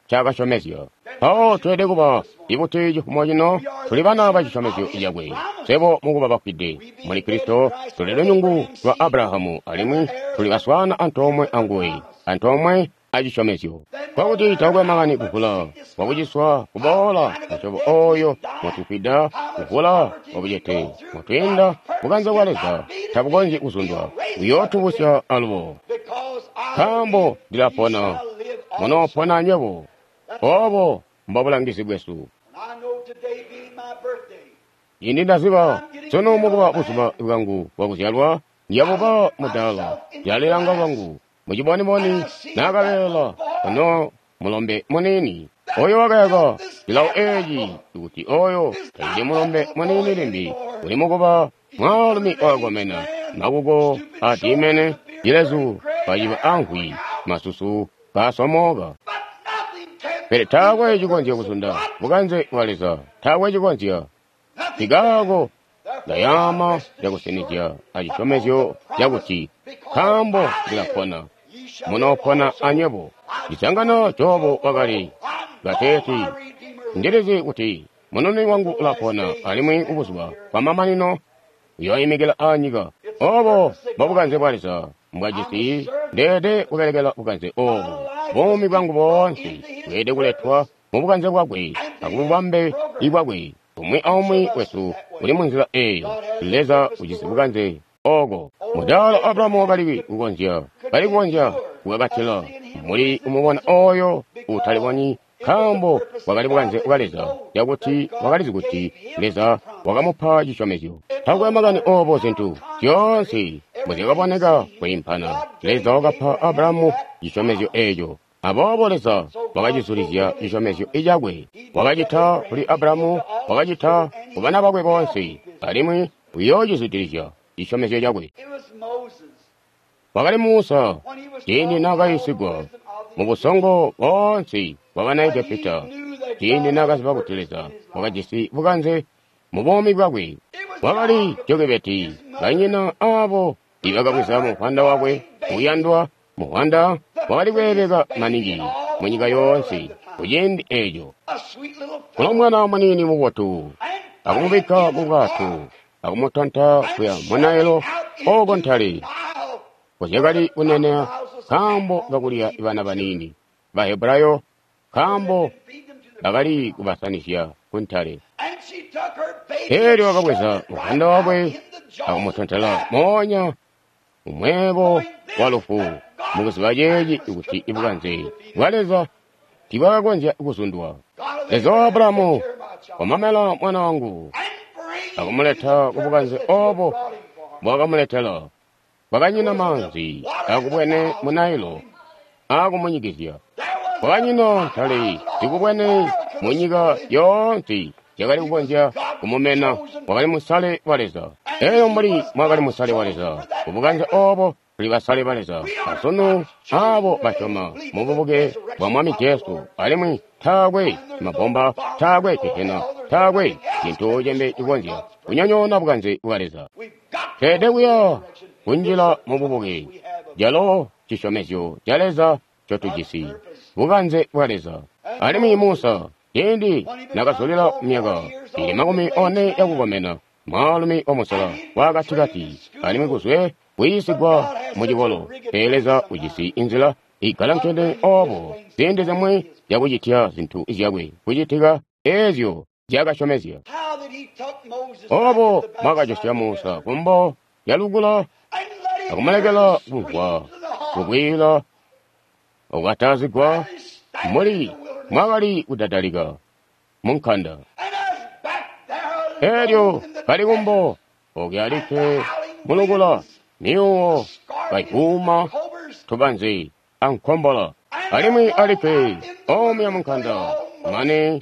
ncaakasyomezya. Mpawo tweelede kuba ibuti cifumo cino tuli bana ba cisyomezyo cakwe. Swebo mukuba bafwide muli Kristo tuli lunyungu lwa Abrahamu alimwi tuli baswaana antoomwe anguwe, antoomwe acisyomezyo. Kwakuti taakwe makani kuvula kwakuciswa kuboola musyobo oyo motufwida, kuvula kwabucete motwiinda, bukanze bwa Leza tabukonzyi kuzundwa, uyootubusya alubo. Nkaambo ndilapona, munoopona anywebo. Oobo mbobulangizi bwesu. Indi ndaziba sunu mukuba buzuba bwangu bwakuzyalwa, ndiyabuba mudaala, ndilalilanga lwangu muciboniboni naakabeela ono mulombe muniini oyo wakayaka cilawo eeci, kuti oyo tacili mulombe muniini limbi, uli mukuba mwaalumi wakakomena, makuko adiimene, cilezu kaciba amvwi, masusu kaasomooka. Pele taakwe cikonzya kuzunda bukanze bwa Leza, taakwe cikonzya. Nkikaako ndayaama cakusinizya acisyomezyo cakuti, nkaambo ndilapona, munoopona anywebo. Cisangano Jobu wakali kateeti, ndilizi kuti mununi wangu ulapona, alimwi kubuzuba bwamamanino uyooimikila anyika. Obo mbobukanze bwa Leza mbwajisi. Ndeelede kubelekela bukanze obu. Buumi bwangu boonse bweelede kuletwa mubukanze bwakwe akububambe bwakwe. Umwi aumwi wesu uli munzila eeyo. Leza ujisi bukanze oko. Mudaala Abrahamu wakali kukonzya, kali kukonzya kukakatila muli kumubona oyo utalibonyi, nkaambo bwakali bukanze bwa Leza, cakuti wakalizi kuti Leza wakamupa cisyomezyo. Takwe makani obo zintu zyoonse mbuzyakaboneka kwiimpana, Leza wakapa Abrahamu cisyomezyo eeco. Aboobo Leza wakacizulizya cisyomezyo cakwe. Wakacita kuli Abrahamu, wakacita ku bana bakwe boonse, alimwi uyoocizwidilizya cisyomezyo cakwe. Wakali Musa, ciindi naakayiisigwa mubusongo boonse bwabana Egepita, ciindi naakaziba kuti Leza wakajisi bukanze mubuumi bwakwe. Wakali Jokebeti, banyina aabo ibakabweza muvwanda wakwe uyandwa, muvwanda wakali kweebeka maningi munyika yoonse kuciindi eeco. Kulo mwana muniini mubotu, akumubikka mubwato, akumutanta kuya mu Nailo ooko ntale kuzyakali kunenea nkaambo kakulya bana baniini Bahebrayo, nkaambo bakali kubasanizya kuntale. Elyo wakabweza muvwanda wakwe akumutontela moonya mumweebo wa lufu, mukuziba ceeci kuti ibukanze bwa Leza tibwakakonzya kuzundwa. Leza wa Abrahamu wamamela mwana wangu akumuleta kubukanze obo bwakamuletela. Kwakanyina maanzi akubwene mu Nailo akumunyikizya. Kwakanyina ntale zikubwene mu nyika yoonse yakali kukonzya kumumena. Wakali musale wa Leza. Eyo mbuli mwakali musale wa Leza, kubukanze obo tuli basale ba Leza asunu, aabo basyoma mububuke bwa Mwami Jesu, alimwi taakwe mabomba, taakwe gehena, taakwe cintu cimbi cikonzya kunyonyoona bukanze bwa Leza. Tweelede kuya kunjila mububuke, calo cisyomezyo ca Leza ncotujisi, bukanze bwa Leza. Alimwi Musa, ciindi nakazulila myaka ili makumi one yakukomena, mwaalumi wamusela wakatikati, alimwi kuzwe kuyiisigwa mucikolo, pele Leza ujisi inzila igalankene obo ziindi zimwi zyakucitya zintu zyakwe kucitika eezyo zyakasyomezya. Obo mwakajosya Musa kumbo yalukula akumulekela kumvwa kukwiila okukatazigwa muli mwakali kudadalika munkanda. Elyo kali kumbo okuya alikke mulukula, myuuwo kayuuma tubanze ankombola, alimwi alikke omuya munkanda mane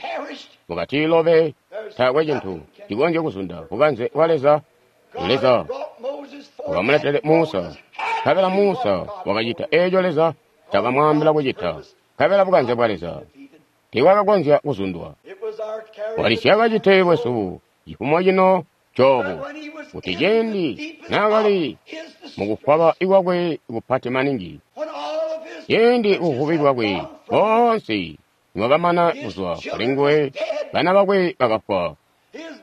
mukatiilobe. Taakwe cintu cikonzya kuzunda bukanze bwa Leza. Leza wakamuletele Musa, nkabela Musa wakacita eeco Leza cakamwaambila kucita, nkabela bukanze bwa Leza tiibwakakonzya kuzundwa. Walisyakacite bwesu cifumo cino Jobu, kuti ciindi naakali mukufwaba kwakwe kupati maningi, ciindi buvubi bwakwe boonse nibwakamana kuzwa kulinguwe, bana bakwe bakafwa,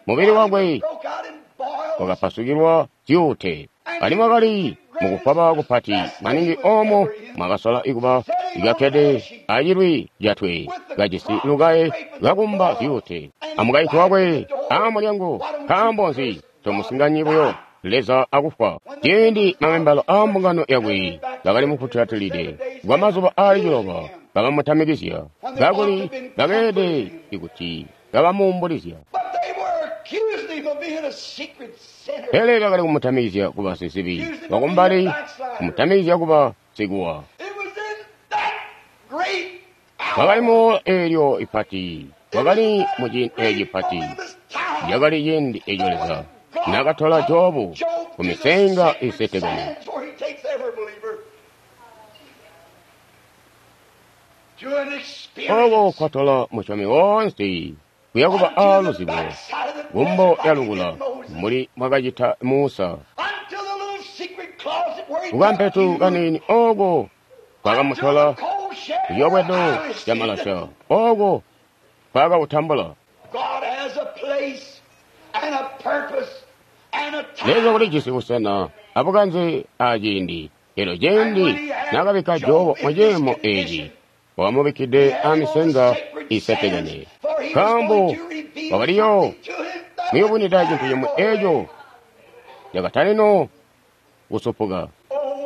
mubili wakwe wakapasukilwa zyuute, alimwi wakali mukufwaba kupati maningi oomo mwakasola ikuba ikakkede acilwi catwe kajisi lukaye lwakumba zyuute, amukaintu wakwe aamulyango. Nkaambo nzi tomusinganyi buyo Leza akufwa? Ciindi mamembalo aambungano yakwe bakali mufutulatilide kwa mazuba aali ciloba bakamutamikizya, kakuli bakeelede kuti kabamuumbulizya. Pele bakali kumutamikizya kuba sizibi wakumbali, kumutamikizya kuba sikuwa. Wakali mu eelyo ipati, wakali mu ciindi eeci pati, lyakali ciindi eeco Leza nakatola Jobu ku misenga isetekene. Oko kwatola musyomi woonse kuyakuba aaluzibo kumbo lyalukula mbuli mwakacita Musa. Kukampetu kaniini oko kwakamutola kuyobwedo lyamalasha oko kwakawutambula. Leza ulijisi busena abukanze aciindi. Elyo ciindi nakabikka Jobu mu ciimo eeci, wakamubikkide amisenga isetekene, nkaambo wakaliyo muyubunida cintu cimwi eeco cakatalino kusupuka.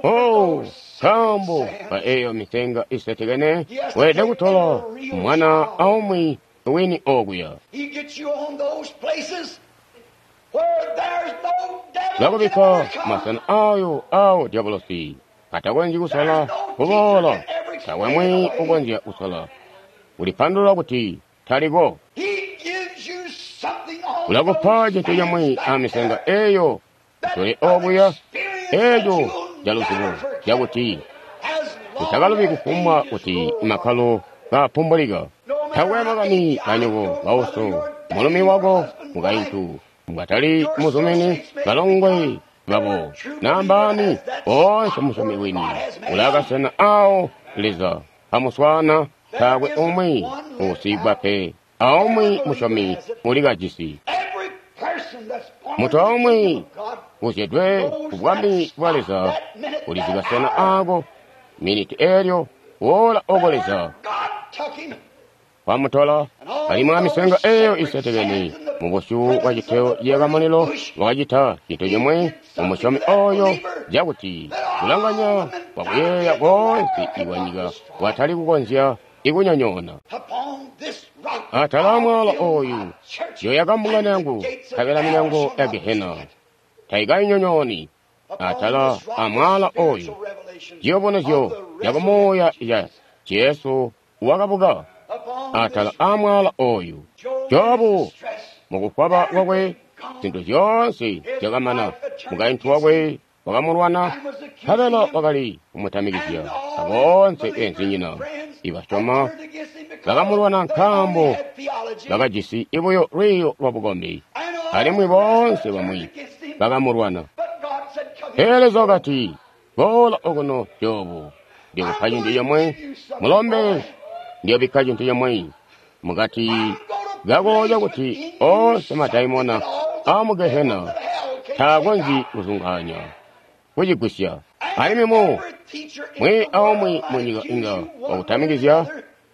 Oh, nkaambo ka eeyo misenga isetekene weelede kutola mwana aumwi wini okuya. Lakubikka masena ayo awo dyabolosi atakonzyi kusola kuboola, taakwe mwi ukonzya kusola kulipandulula kuti taliko. Ulakupa cintu cimwi amisenga eeyo kusule okuya, eeco caluzibo cakuti utakalubi kufumbwa kuti makkalo kaapumbulika. Taakwe makani kanyoko kauso, mulumi wako, mukaintu mbwatali muzumini, balongwe babo nambaani, boonse musyomi wini ulakasena awo Leza amuswaana. Taakwe umwi uusiigwa pe, aumwi musyomi ulikajisi. Muntu aumwi uzyedwe ku bwami bwa Leza ulizi kasena aako miniti eelyo woola oko Leza wamutola. Alimwi amisenga eeyo isetekene mu busyu bwa citeo ciyakamulilo wakacita cintu cimwi mu musyomi oyo cakuti kulanganya kwakuyeeya koonse ikwanyika kwatali kukonzya ikunyonyoona. Atala amwaala oyu yoyaka mbungano yangu, nkabela milyango ya Gehena taikayinyonyooni. Atala amwaala oyu ciyubunuzyo cakumuuya ca Jesu wakabuka. Atala amwaala oyu Jobu mukufwaba kwakwe zintu zyoonse zyakamana. Mukaintu wakwe wakamulwana, nkabela wakali kumutamikizya, aboonse beenzinyina ibasyoma bakamulwana nkaambo bakajisi ibuyo lwiiyo lwabukombi, alimwi boonse bamwi bakamulwana. Pele Leza wakati, boola okuno Jobu, ndikupa cintu cimwi, mulombe, ndiyobikka cintu cimwi mukati kako cakuti oonse madaimona aamu Gehena taakonzyi kuzungaanya kucigwisya. Alimwi mu mwi aumwi munyika inga wakutamikizya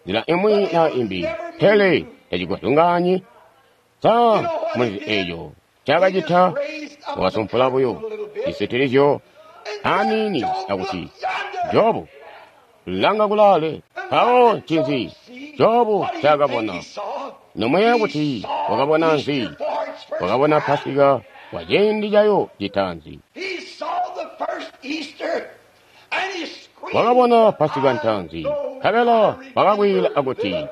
nzila imwi naa imbi, pele tacikuzungaanyi. Sa mulizi eeco ncaakacita? Wakasumpula buyo cisitilizyo aniini akuti, Jobu, langa kulaale. Mpawo ncinzi Jobu ncaakabona? Nomuyeeya kuti wakabona nzi? Wakabona Pasika kwa ciindi cayo citaanzi. Wakabona Pasika ntaanzi, nkabela wakakwiila akuti,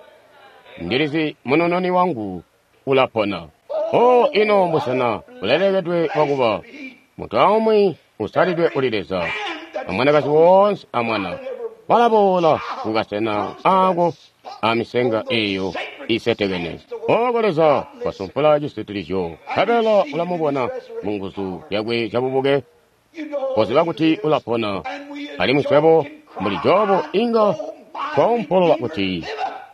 ndilizi munununi wangu ulapona. Oh, ino mbusena bulelekedwe bwakuba muntu aumwi usalidwe kuli Leza, amwanakazi woonse amwana balaboola kukasena aako amisenga eeyo isetekene. Oko Leza wasumpula cisitilizyo, nkabela ulamubona mu nguzu zyakwe zyabubuke, koziba kuti ulapona. Alimwi swebo mbuli Jobu inga twaumpolola kuti,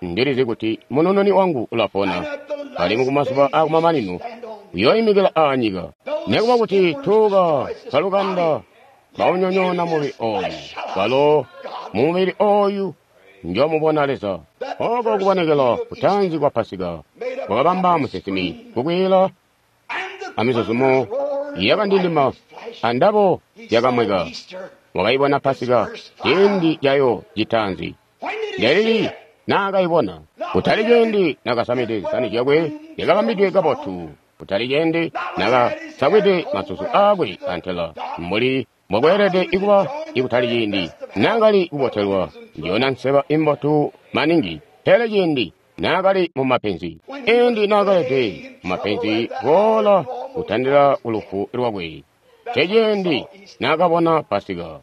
ndilizi kuti munununi wangu ulapona, alimwi kumazuba akumamanino uyooimikila aanyika. Nekuba kuti tuuka kalukanda baunyonyoona mubili ooyu, walo mumubili ooyu njomubona Leza. Oko kubonekela kutaanzi kwa Pasika kwakabamba musinsimi kukwiila amizuzumo yakandindima andabo yakamweka. Wakayibona Pasika ciindi cayo citaanzi. Lelili naakayibona, kutali ciindi nakasamide zisani zyakwe zyakabambidwe kabotu, kutali ciindi nakasakwide masusu aakwe antela mbuli mbokweelede ikuba, ikutali ciindi naakali kubotelwa njona nseba imbotu maningi, pele ciindi naakali mumapenzi, ciindi naakalede mumapenzi boola kutandila kulufu lwakwe, nceciindi naakabona Pasika.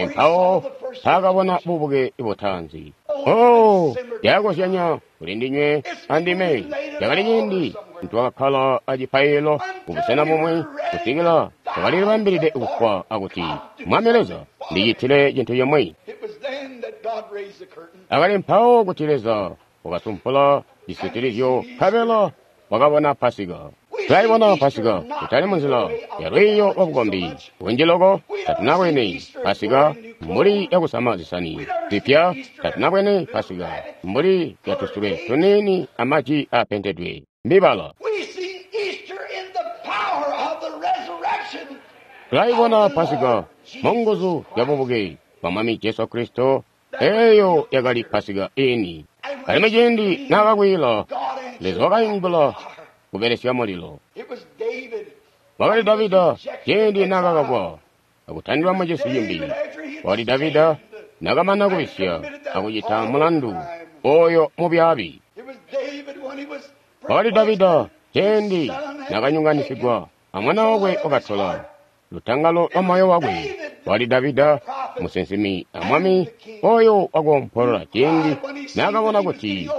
Mpawo taakabona bubuke butaanzi. Oh, yakozyanya kuli ndinywe andime. Cakali ciindi nitwakakkala acipaililo kubusena bumwi kusikila twakalilibambilide kufwa akuti, Mwami Leza, ndicitile cintu cimwi. Akali mpawo kuti Leza wakasumpula cisitilizyo nkabela wakabona Pasika. Tulaibona Pasika kutali munzila ya lwiiyo lwabukombi bunji loko. Tatunabwene Pasika mbuli yakusama zisani zipya. Tatunabwene Pasika mbuli yatusule tuniini amaji aapentedwe mbibala. Tulaibona Pasika munguzu zya bubuke bwa Mwami Jesu Kristo. Eeyo yakali Pasika ini. Alimwi ciindi naakakwiila, Leza wakaingula kubelesya mulilo. Wakali Davida ciindi naakakakwa akutandilwa mucisi cimbi. Wakali Davida naakamana kubisya akucita mulandu oyo mubyaabi. Wakali Davida ciindi naakanyonganisigwa amwana wakwe wakatola lutangalo lwa moyo wakwe. Wakali Davida musinsimi amwami oyo wakoompolola ciindi naakabona kuti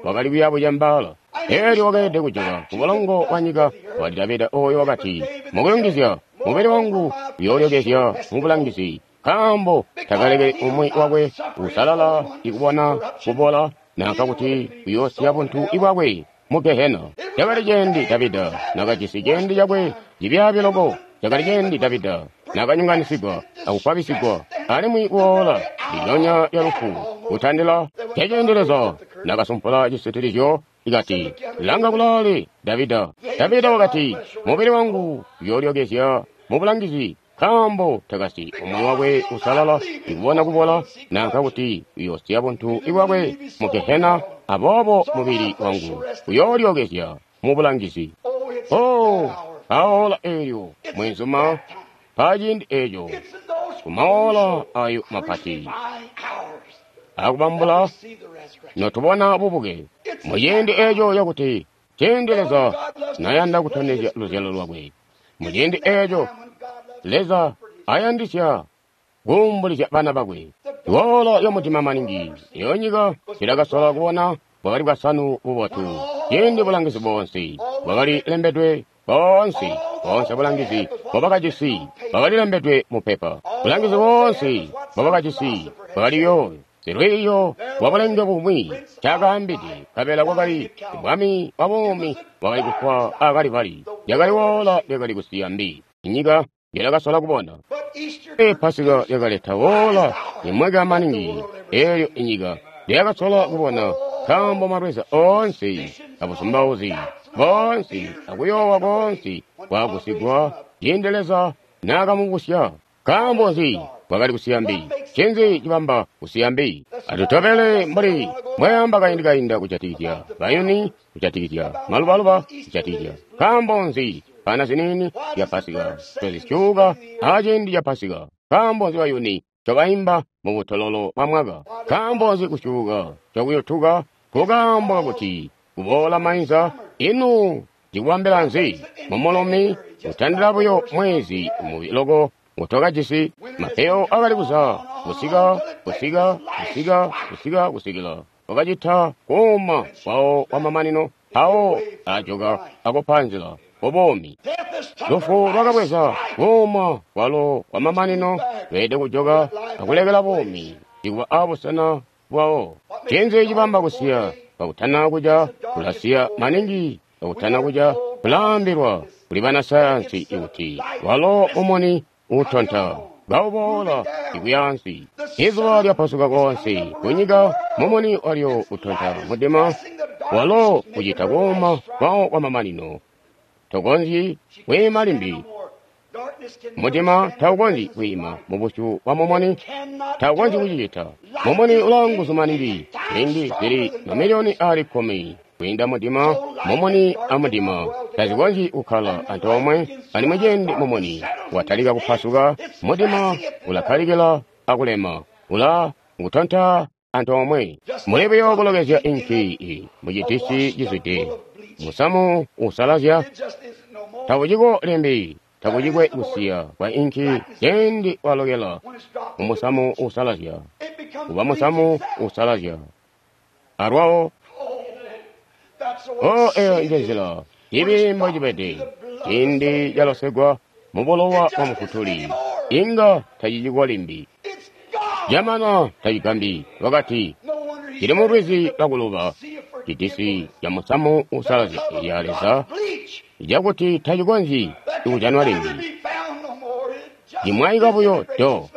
wakali kuyabucembaala, eelyo wakeelede kujoka kubulongo bwa nyika. Wakali Davida oyo wakati, mukuyungizya mubili wangu uyoolyokezya mubulangizi, nkaambo takalekeli umwi wakwe usalala ikubona kubola nanka kuti uyoosiya buntu bwakwe mu Gehena. Cakali ciindi Davida nakajisi ciindi cakwe cibyaabi loko. Cakali ciindi Davida nakanyonganisigwa akukwabisigwa alimwi kuwoola lilyonya lya lufu kutandila. Ceciindi Leza nakasumpula cisitilizyo ikati, langa kulaale Davida. Davida wakati, mubili wangu uyoolyokezya mubulangizi, nkaambo takasi umwi wakwe usalala ikubona kubola nanka kuti uyoosiya buntu bwakwe mu Gehena, aboobo mubili wangu uyoolyokezya mubulangizi. Oh, aola eelyo mwenzuma, paciindi eeco kumaola ayo mapati akubambula notubona bubuke muciindi eeco cakuti ciindi Leza nayanda kutondezya luzyalo lwakwe. Muciindi eeco Leza ayandisya kuumbulizya bana bakwe. Iwoola lyamutima maningi eyo nyika ilakasola kubona bwakali bwasanu bubotu, ciindi bulangizi boonse bwakali lembedwe boonse boonse bulangizi bwabakajisi bwakali lembedwe mu pepa. Bulangizi boonse bwabakajisi bwakaliyo silwiiyo lwa bulenge bumwi cakaambide, nkabela kwakali bwami bwa buumi bwakali kufwa akalibali. Lyakali woola lyakali kusiya mbi inyika yelakasola kubona. E Pasika lyakaleta woola limweka maningi eelyo inyika lyakasola kubona, nkaambo malweza oonse abusumbauzi boonse akuyoowa koonse kwagusigwa ciindi Leza naakamubusya. Nkaambo nzi bwakali kusiya mbi? Ncinzi cibamba kusiya mbi? Atutobele mbuli mbwayamba kaindi kainda kujatikizya bayuni, kujatikizya malubaluba, kujatikizya nkaambo nzi pana ziniini zya Pasika tozisyuuka aciindi ca Pasika? Nkaambo nzi bayuni ncobaimba mubutololo bwa mwaka? Nkaambo nzi kusyuuka cokuyutuka? Kukaambo kakuti kuboola mainza. Ino ndikuambila nzi mumulumi kutandila buyo mwezi mubi loko ngutwakajisi? Mapeyo akali kuza kusika kusika kusika kusika kusikila wakacita kuuma kwawo kwamamanino, mpawo ajoka akupa nzila kubuumi. Lufu lwakabweza kuuma kwalo kwamamanino, lweelede kujoka akulekela buumi ikuba abusena bwawo. Ncinzi cibamba kusiya kakutana kuca? Kulasiya maningi kakutana kuca. Kulaambilwa kuli banasayansi ikuti walo mumuni utonta kauboola ikuyaansi. Izuba lyapasuka koonse kunyika, mumuni walyo utonta mudima, walo ucita kuuma kwawo kwamamanino. Tokonzyi kwiima limbi. Mudima taukonzyi kwiima mubusyu bwa mumuni, taukonzyi kucicita. Mumuni ulaanguzu maningi ziindi zili mamiliyoni aali kkumi kwiinda mudima. Mumuni amudima tazikonzyi kukkala antoomwe. Alimwi ciindi mumuni watalika kupasuka, mudima ulakkalikila akulema, ula ngutonta antoomwe. Muli buyo kulokezya inki mucidisi cizwide musamu usalazya, takuciko limbi, takucikwe kusiya kwa inki. Ciindi walokela mumusamu usalazya, kuba musamu usalazya alwawo. O, eyo nje nzila ibi mbocibede ciindi calosegwa mubulowa bwa Mufutuli, inga tacicikwa limbi. Jamana tacigambi wakati cili mu lwizi lwakuluba cidisi ca musamu usalazya ya Leza cakuti tacikonzyi kujanwa limbi. Cimwaika buyo do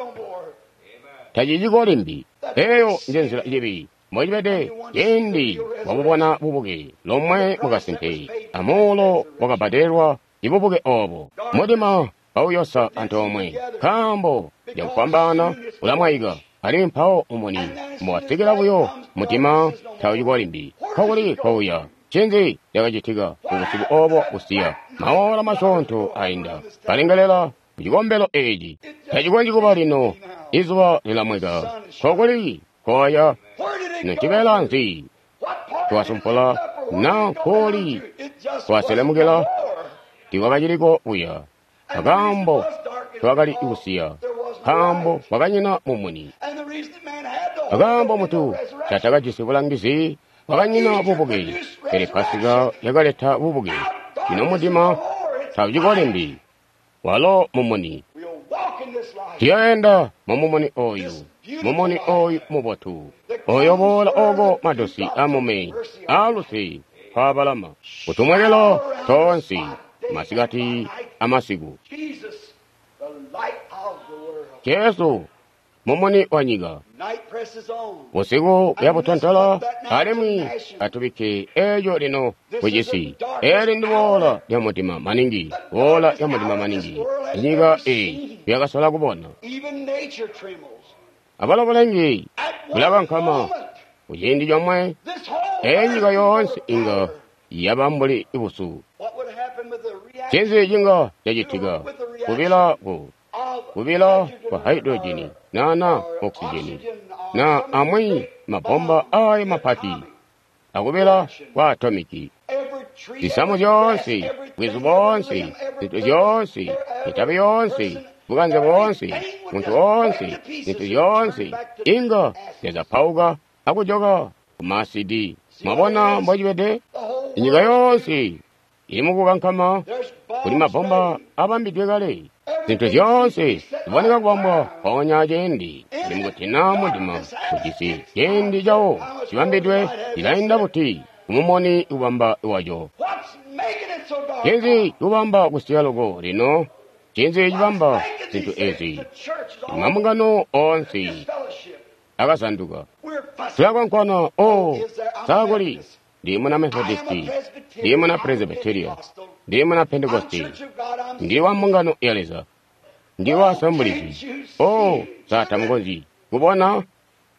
taciciko limbi. Eyo nje nzila cibi mbocibede ciindi wabubona bubuke lomwe mukasimpe amuulo wakabbadelwa ibubuke obo. Mudima bauyosa antoomwe nkaambo cakufwambaana ulamwaika alimwi mpawo mumuni mbuwasikila buyo mudima tauciko limbi. Nkokuli kouya ncinzi cakacitika mubusiku obo busiya maola masyoonto ainda kalengelela kucikombelo eeci tacikonzyi kuba lino izuba lilamweka. Nkokuli koya nocibela nzi twasumpula na nkoli twaselemukila tiwakaciliko buya akaambo twakali kusiya nkaambo kwakanyina mumuni. Akaambo mutu tatakajisi bulangizi kwakanyina bubuke, pele Pasika yakaleta bubuke. Lino mudima tauciko limbi, walo mumuni. Tuyoenda mumumuni oyu, mumuni oyu mubotu oyo boola oko madosi amume aluse twabalama kutumwekelo tonsi masikati amasiku. Jesu mumuni wa nyika. Busiku buyabutontola alimwi atubikke eeco lino kucisi. Eli ndi boola lya mudima maningi, boola lya mudima maningi inyika eyi yakasola kubona. Abalo bulengi bulakankama kuciindi comwe, eyi nyika yoonse inga yaba mbuli busu. Ncinzi cinga cacitika kubila ku kubila kwa haidrojini na na okisijeni na amwi mabomba ayo mapati akubila kwa atomiki. Zisamu zyoonse, bwizu boonse, zintu zyoonse, mitabi yoonse, bukanze boonse, muntu woonse, zintu zyoonse inga zyazapauka akujoka kumasidi. Mwabona mbocibede? Inyika yoonse ili mukukankama, kuli mabomba abambidwe kale. Zintu zyoonse ziboneka kubambwa mpoonya ciindi zili mukutina mudima kujisi ciindi cawo cibambidwe cilainda buti kumumoni kubamba waco. Ncinzi cibamba kusiya loko lino? Ncinzi cibamba zintu ezi? Mambungano oonse akazanduka. Tulakwankwana, o sakuli ndi muna Methodisti, ndi muna Presbyteria, ndi muna Pentekosti, ndi wa mbungano ya Leza, ndi wa Assemblies. O satamukonzyi kubona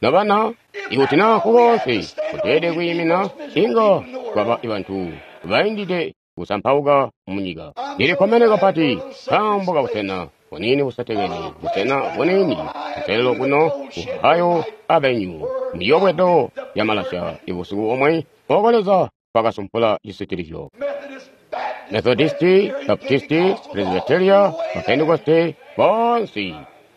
nabana ikuti na kukonse kuteede kwiimina inga kwaba bantu baindide kusampauka munyika. Ndilikkomene kapati nkaambo kabusena bunini busetekene, busena bunini kuselelo kuno ku Ohio Avenue miyobwedo ya malasha ibusiku omwe oko Leza kwakasumpula cisitilizyo. Methodisti, Baptisti, Presbyteria, Pentekoste bonse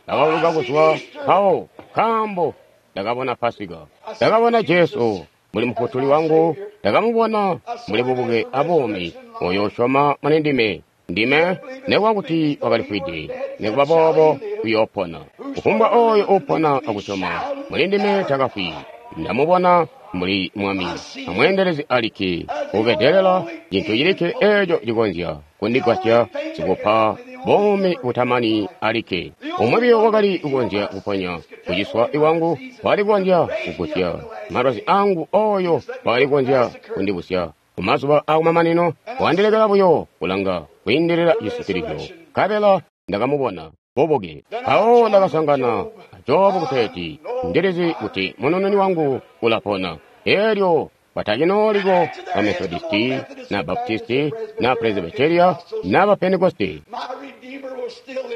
bakauluka kuzwa mpawo nkaambo ndakabona Pasika. Ndakabona Jesu muli Mufutuli wangu, ndakamubona muli bubuke abuumi. Oyo usyoma muli ndime, ndime nekuba kuti wakalifwide, nekuba boobo uyoopona. Kufumbwa oyo uupona akusyoma muli ndime takafwi. Ndamubona mbuli Mwami amweendelezi alikke ubedelela cintu cilikke eeco cikonzya kundigwasya sikupa buumi butamani alikke. Umwi buyo wakali kukonzya kuponya kuciswa kwangu, wakali kukonzya kugusya malwazi angu, oyo wakali kukonzya kundibusya kumazuba akumamanino. Wandilekela buyo kulanga kwiindilila cisitilizyo, nkabela ndakamubona bubuke. Mpawo ndakasangana a Jobu kuteeti ndilizi kuti munununi wangu ulapona. Elyo batacinooliko ba Methodisti na Baptisti na Presbyteria na ba Pentekosti.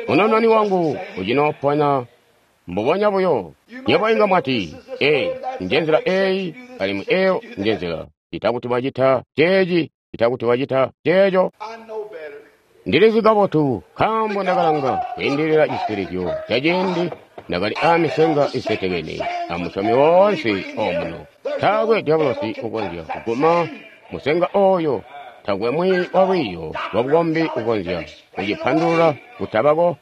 Munununi wangu ucinoopona mbubonya buyo. Nywebo inga mwati, ee, nje nzila eyi, alimwi eyo nje nzila. Itakuti wacita ceeci, itakuti wacita ceeco. Ndilizi kabotu nkaambo ndakalanga kwiindilila cisitilizyo ca ciindi ndakali aamisenga isetekene amusyomi woonse omuno. Taakwe dyabulosi ukonzya kuguma musenga oyo. Taakwe mwi wa lwiiyo lwa bukombi ukonzya kucipandulula kutabako.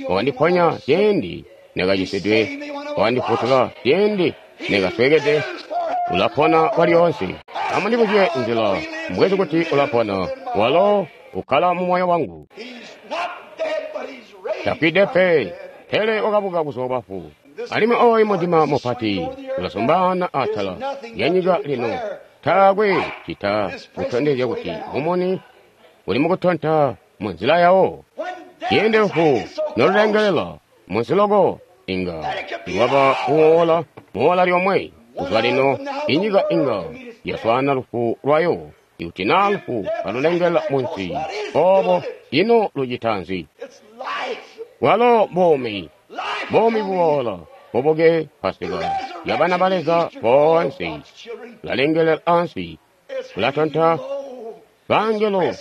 Wakandiponya ciindi nekacisidwe, wakandifutula ciindi nekasweekede. Ulapona kwalyoonse. Amundibuzye nzila mbwezi kuti ulapona. Walo ukkala mu moyo wangu. Tafwide pe, pele wakabuka kuzwa bafu. Alimwi oyu mudima mupati ulasumbaana atala lya nyika lino. Taakwe cita kutondezya kuti mumuni uli mukutonta mu nzila yawo. Ciindi lufu nolulengelela munsi loko, inga lwaba kuwoola muwoola lyomwe. Kuzwa lino inyika inga yaswaana lufu lwayo. Ikuti naa lufu kalulengelela munsi obo, ino lucita nzi? Walo buumi, buumi buboola, bubuke Pasika ya bana ba Leza boonse. Ulalengelela ansi, ulatonta bangelo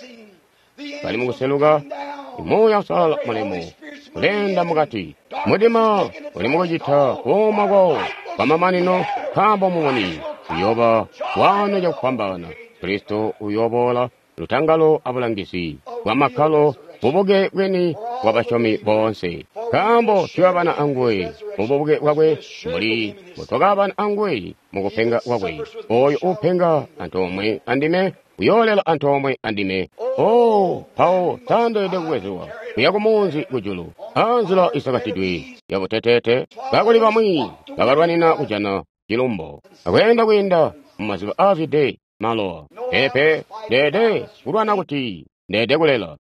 bali mukuseluka. Muuya Uusalala mulemu uleenda mukati. Mudima uli mukucita kuuma kwawo kwamamanino, nkaambo mumuni uyooba wano cakufwambaana. Kristo uyooboola lutangalo abulangizi bwamakkalo, bubuke bweni bwa basyomi boonse. Nkaambo tuyabana anguwe mububuke bwakwe mbuli mbutwakabana anguwe mukupenga kwakwe. Oyo uupenga antoomwe andime uyoolela antoomwe andime. Oh, mpawo tandeelede kubwezewa kuya kumunzi kujulu anzila isakatidwe yabuteteete, kakuli bamwi bakalwanina kujana cilumbo akweenda kwiinda mumaziba aazwide malowa. Peepe, ndeede kulwana kuti ndeede kulela.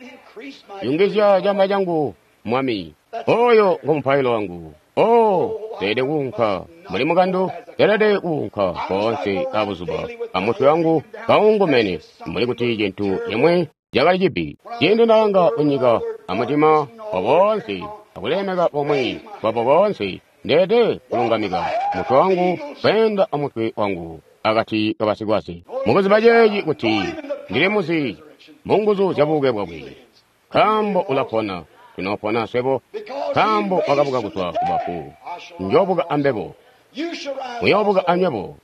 Yungizya camba cangu, Mwami. Oyo ngo mupailo wangu. Oh, ndeede kuunka muli mukandu, ndeelede kuunka koonse abuzuba amutwe wangu kaungumene mbuli kuti cintu cimwi cakali cibi. Ciindi ndalanga kunyika amutima wa boonse akulemeka bomwe bwabo boonse, ndeede kulungamika mutwe wangu kweenda amutwe wangu akati kabasikwaze. Mukuziba ceeci kuti ndili muzi munguzu zya bubuke bwakwe, nkaambo ulapona, tunoopona swebo, nkaambo wakabuka kuzwa kubafu. Njoobuka ambebo, muyoobuka anywebo.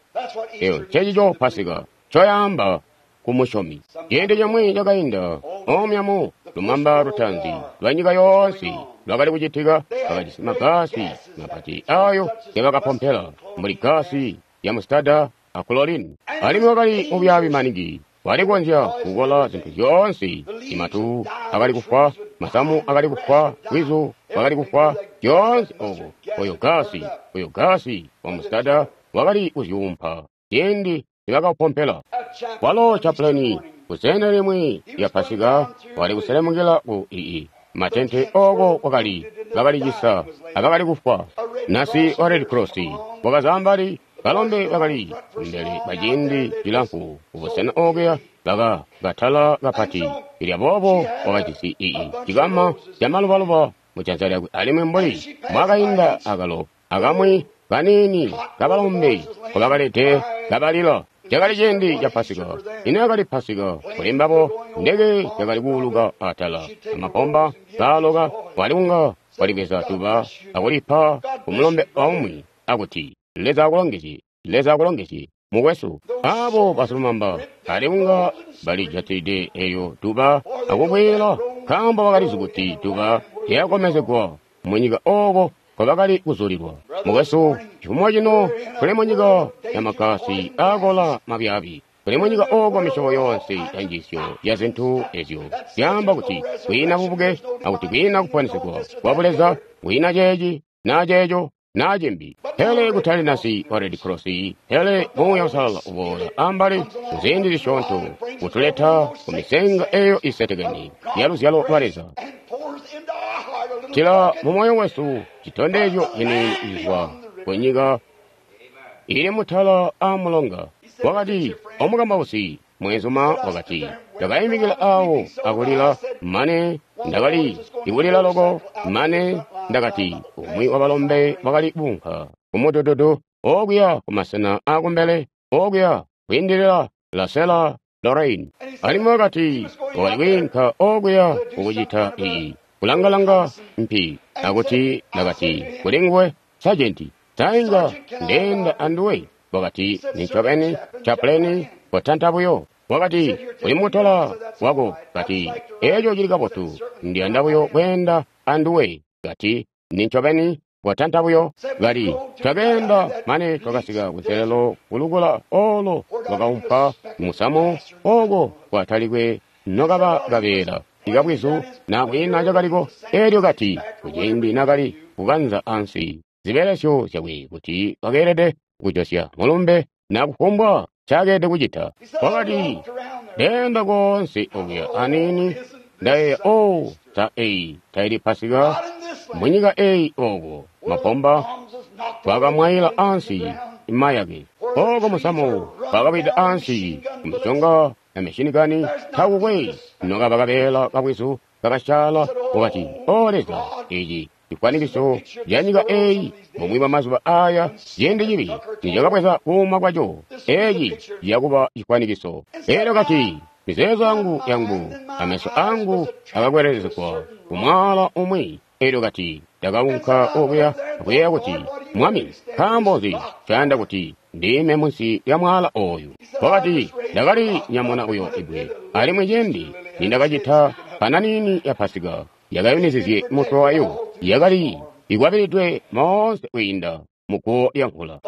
Eyo ncecico Pasika ncoyaamba ku musyomi. Ciindi cimwi cakainda, omya mu lumamba lutaanzi lwa nyika yoonse lwakali kucitika, bakajisi magasi mapati ayo ngebakapompela mbuli gasi ya mustada a chlorine. Alimwi wakali mubyaabi maningi, wali kukonzya kukola zintu zyoonse. Imatu akali kufwa, masamu akali kufwa, bwizu bwakali kufwa, zyoonse obo. Oyo gasi, oyo gasi wa mustada wakali kuzyuumpa ciindi nibakaupompela. Walo chapleni kusena limwi lya Pasika wali kuselemukila ku ii matente oko kwakali bakalicisa abakali kufwa. Nasi wa Red Cross wakazambali balombe bakali kumbele baciindi cilamfu kubusena okuya baka katala kapati. Ilya boobo wakajisi ii cikama camalubaluba mujanza lyakwe, alimwi mbuli mwakainda akalo akamwi kaniini kabalombe nkobakalede kabalila. Cakali ciindi ca Pasika. Ino yakali Pasika kuli mbabo. Ndeke yakali kuuluka atala amabomba kaaloka, wali kunga walibweza tuba akulipa kumulombe aumwi akuti, Leza akulongezye, Leza akulongezye, mukwesu. Abo basilumamba bali kunga balijatilide eyo tuba akubwela, nkaambo bakalizi kuti tuba lyakomezegwa munyika oko nkobakali kuzulilwa. Mukwesu, cifumo cino tuli munyika ya makasi aakola mabyaabi. Tuli munyika oko misyobo yoonse ya njiisyo ya zintu ezyo zyaamba kuti kwiina bubuke, akuti kwiina kuponesegwa kwa buleza, kwiina ceeci naa ceeco naa cimbi. Pele kutali nasi wa Red Cross, pele Muuya Uusalala uboola ambali muziindi zisyoonto kutuleta ku misenga eyo isetekene ya luzyalo lwa Leza. Tila mu moyo wesu citondezyo cini cizwa ku nyika ili mutala a mulonga. Wakati omukambausi mweenzuma wakati, ndakaimikila awo akulila mane ndakali ikulila loko mane ndakati umwi wa balombe wakali kuunka kumudududu okuya kumasena akumbele okuya kwiindilila Lasela Lorraine. Alimwi wakati wakali kwiinka okuya kukucita iyi kulangalanga mpi, akuti ndakati kuli nguwe, Sajenti, tainga ndeenda anduwe. Wakati, nincobeni, chapleni, kotanta buyo. Wakati, uli mukutola wako. Kati, eco cili kabotu. Ndiyanda buyo kweenda anduwe. Kati, nincobeni, kotanta buyo. Kati, twakeenda mane twakasika kunselelo kulukula olo lwakaumpa musamu oko kwatalikwe nokaba kabeela ikabwizu na kwiina cakaliko. Elyo kati, kuciindi nakali kukanza ansi zibelesyo zyakwe kuti wakeelede kujosya mulumbe na kufumbwa ncakeelede kucita. Wakati, ndeenda koonse okuya aniini ndayeeya, o sa eyi taili Pasika munyika eyi oko mapomba twakamwayila ansi mayake oko musamu twakawida ansi kumiconga na mishinikani takukwe nokaba kabeela kabwizu kakasyaala. Wakati, o Leza, eci cifwanikiso ca nyika eyi mumwi bwa mazuba aya ciindi cibi nicakabweza kuuma kwaco, eci ciyakuba cifwanikiso. Elyo kati, mizeezo yangu yangu ameso angu akakwelelezegwa kumwaala umwi. Elyo kati, ndakaunka okuya akuyeeya kuti, Mwami, nkaambo nzi ncayanda kuti ndiime munsi lya mwaala oyu? Wakati, ndakali nyamuna uyo ibwe, alimwi ciindi nindakacita pananini ya Pasika yakayunizizye mutwe wayo, yakali ikwabilidwe moonse kwiinda muguwo lya mvula,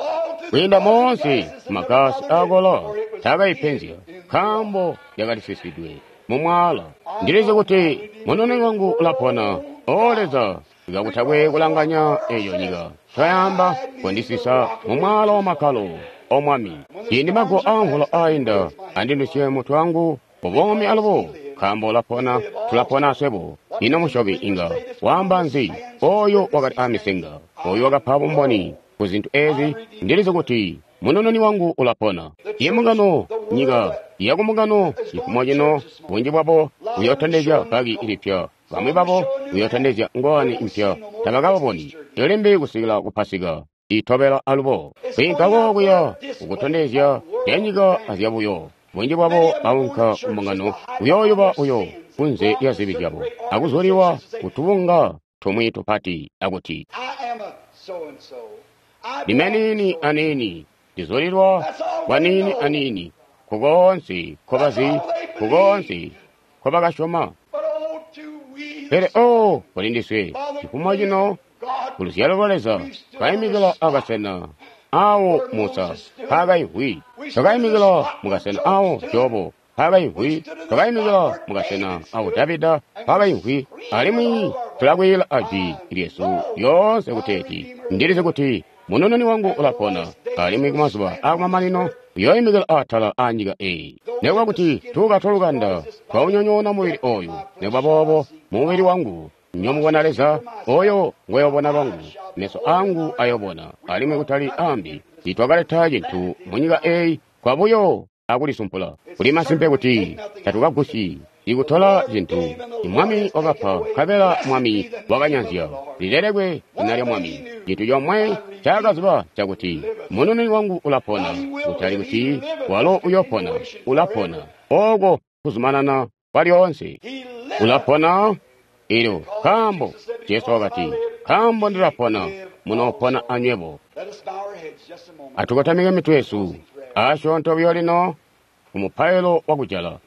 kwiinda moonse magasi akola taakayipenzya, nkaambo yakalisisidwe mu mwaala. Ndilizi kuti munoni wangu ulapona. O Leza, kakutakwe kulanganya eyo nyika twayamba kundisisa mu mwaala wa makkalo. O Mwami, ciindi mago amvula ainda andinusye mutwe wangu ubomi alubo, nkaambo ulapona, tulapona aswebo. Ino musyobi inga waamba nzi? Oyo wakali amisenga, oyo wakapa bumboni ku zintu ezi. Ndilizi kuti munononi wangu ulapona. Ye mungano, nyika yakumungano cifumo cino, bunji bwabo buyotondezya baki ilipya, bamwi babo buyotondezya ngowani impya. Tabakababoni limbi kusikila ku Pasika itobela alubo. Kwiinkako kuya kukutondezya zyanyika azyabuyo. Bunji bwabo baunka kumbungano kuyooyuba uyo kunze lya zibi zyabo akuzuliwa kutubunga tumwi tupati akuti, ndime niini aniini, ndizulilwa kwa niini aniini, kukoonse nkobazi, kukoonse nkobakasyoma. Pele o kuli ndiswe cifumo cino, ku luzyalo lwa Leza, twayimikila akasena awo Musa mpaakayimvwi, twakayimikila mukasena awo Jobo mpaakayimvwi, twakayimikila mukasena awo Davida mpaakayimvwi, alimwi tulakwiila ajwi lyesu lyoonse kuteeti, ndilizi kuti munononi wangu ulapona, alimwi kumazuba akumamanino uyooyimikila atala a nyika eyi. Nikuba kuti tuuka twalukanda twaunyonyoona mubili oyu, nikuba boobo mumubili wangu nyomubona Leza, oyo ngweyobona lwangu, meso angu ayobona, alimwi kutali ambi. Tiitwakaleta cintu munyika eyi kwabuyo akulisumpula. Kuli masimpe kuti tatukagusyi ikutola cintu. Mwami wakapa, nkabela Mwami wakanyanzya. Lilelekwe zina lya Mwami. Cintu comwe ncaakaziba cakuti munononi wangu ulapona, kutali kuti walo uyopona, ulapona. Oko kuzumanana kwalyoonse. Ulapona. Elyo nkaambo Jesu wakati, nkaambo ndilapona, munoopona anywebo. Atukotamike mitwe yesu asyoonto buyo lino ku mupailo wakujala.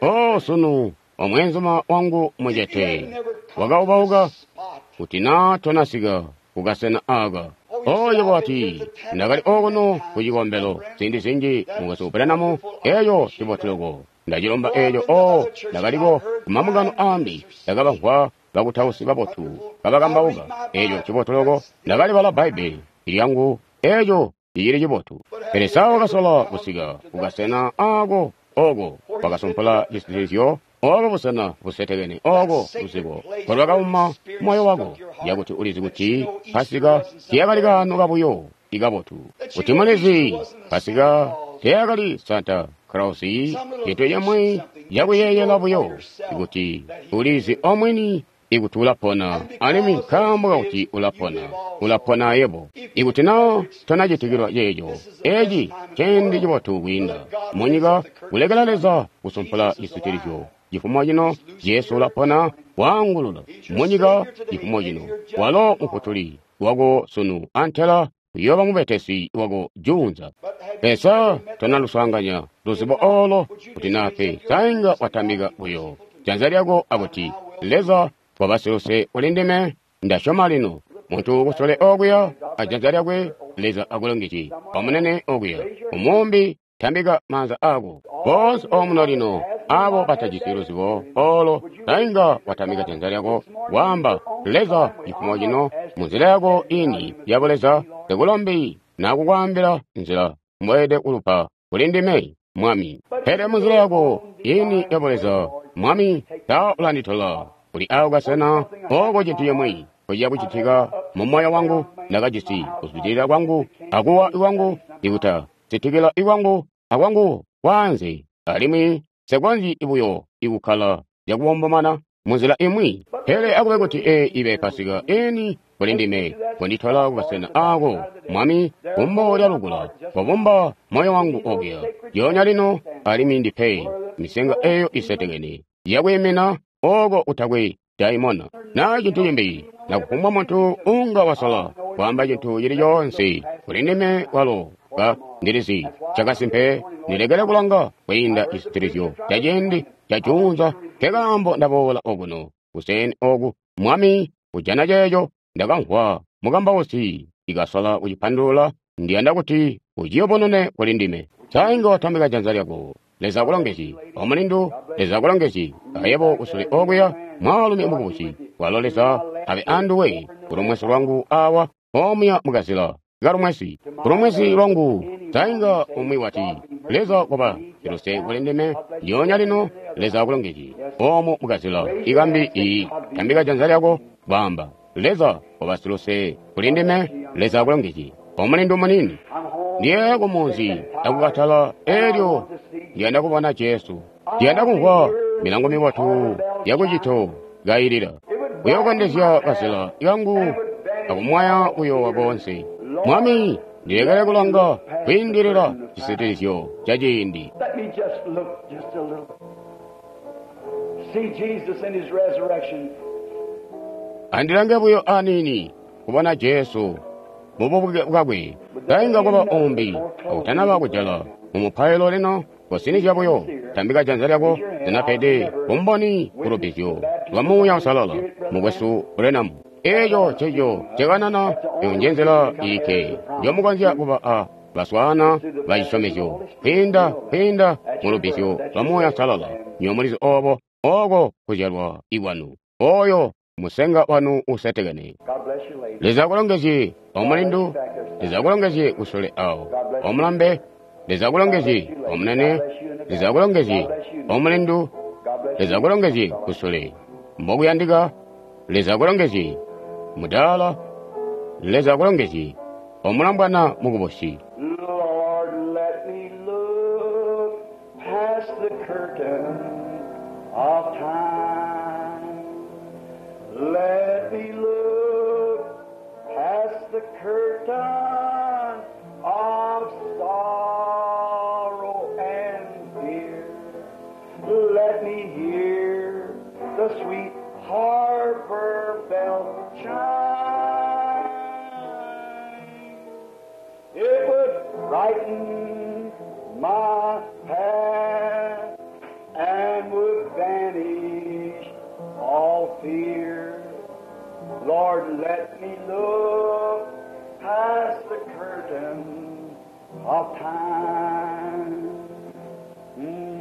O sunu, omweenzuma wangu mucete, wakaubauka kuti naa tonasika kukasena aka. Oyo wati, ndakali okuno ku cikombelo ziindi zinji mukwesu Branham, eyo ciboteloko. Ndacilomba eco, o ndakaliko kumamungano ambi, ndakabamvwa bakutausi babotu kabakambauka eco cibotoloko. Ndakalibala Bbaibbele lyangu, eco cicili cibotu. Pele sa wakasola kusika kukasena ako oko wakasumpula cisitilizyo, oko busena busetekene, oko luzibo kolwakauma moyo wako, yakuti ulizi kuti Pasika tiyakali kaano kabuyo ikabotu, kuti mulizi Pasika tiyakali Santa Claus, cintu cimwi cakuyeeyela buyo, ikuti ulizi omwini ikuti ulapona, alimwi nkaambo kakuti ulapona, ulapona yebo. Ikuti na tonacitikilwa ceeco, eci ciindi cibotu kwiinda munyika kulekela Leza kusumpula cisitilizyo. Cifumo cino Jesu ulapona, waangulula munyika. Cifumo cino walo mufutuli wako sunu antela uyooba mubetesi wako juunza. Pesa tona luswaanganya luzibo olo kuti nape sainga watambika buyo janza lyako akuti Leza wabasiluse kuli ndime ndasyoma lino. Muntu kusule okuya ajanza lyakwe Leza akulongezye omunene okuya umumbi tambika maanza ako bonse omuno lino abo batajisi luzibo olo sainga watambika janza lyako wamba Leza cifumo cino munzila yako ini ya buleza ndikulombi nakukwaambila nzila mbweede kulupa kuli ndime Mwami. Pele munzila yako ini ya buleza Mwami ta ulanditola kuli awo kasena oko cintu cimwi kuciya kucitika mu moyo wangu ndakajisi kuzwidilila kwangu akuwa iwangu ikuta sitikila iwangu akwangu kwanze alimwi sekonzyi ibuyo ikukkala yakubombomana munzila imwi. Pele akube kuti e ibe Pasika eni kuli ndime kunditola kubasena ako Mwami kumbo lya lukula kobumba moyo wangu okuya yonya lino alimwi ndipe misenga eyo isetekene yakwimina oko utakwe daimona na cintu cimbi nakufumbwa muntu unga wasola kwamba cintu cili coonse kuli ndime kwalo ka ndilizi cakasimpe ndilekele kulanga kwiinda cisitilizyo ca ciindi ca juunza nkekaambo ndaboola okuno kuseni oku Mwami kujana ceeco ndakamvwa mukambausi ikasola kucipandulula ndiyanda kuti uciyubunune kuli ndime. Sainga watambika janza lyako Leza akulongezye omulindu Leza akulongezye ayebo kusule okuya mwaalumi mukubusi walo Leza abe anduwe kulumwesi lwangu awa omuya mukazila kalumwesi kulumwesi lwangu sainga umwi wati Leza koba siluse kuli ndime ndyonya lino Leza akulongezye omu mukazila ikambi iyi tambika janza lyako kwamba Leza koba siluse kuli ndime Leza akulongezye omulindu munini ndiye kumunzi akukatala elyo ndiyanda kubona Jesu ndiyanda kumvwa milango mibotu yakucito kayilila kuyokondezya kazila kangu akumwaya kuyowa konse. Mwami ndilekele kulanga kwiindilila cisitilizyo ca ciindi. Let me just look just a little. See Jesus in his resurrection. Andilange buyo anini kubona Jesu mububuke bwakwe sainga kuba umbi akutanaba kujala mumupailo lino kusinizya buyo tambika janza lyako linapede bumboni kulubizyo lwa Muuya Usalala mukwesu Branham. Eco ceco cekanana eyo njenzela ilikke njomukonzya kuba a baswaana ba cisyomezyo kwiinda kwiinda mulubizyo lwa Muuya Usalala nyomulizi obo oko kuzyalwa ikwanu oyo musenga wanu usetekene. God bless you, lady. Leza akulongezye omulindu Leza akulongezye kusule awo omulambe Leza akulongezye omunene Leza akulongezye omulindu God bless Leza akulongezye kusule mbokuyandika Leza akulongezye mudaala Leza akulongezye omulambwana mukubusi. Lord, let me look past the curtain of time. Let me look past the curtain of sorrow and fear. Let me hear the sweet harbor bell chime. It would brighten my path and would banish all fear. Lord, let me look past the curtain of time. Mm.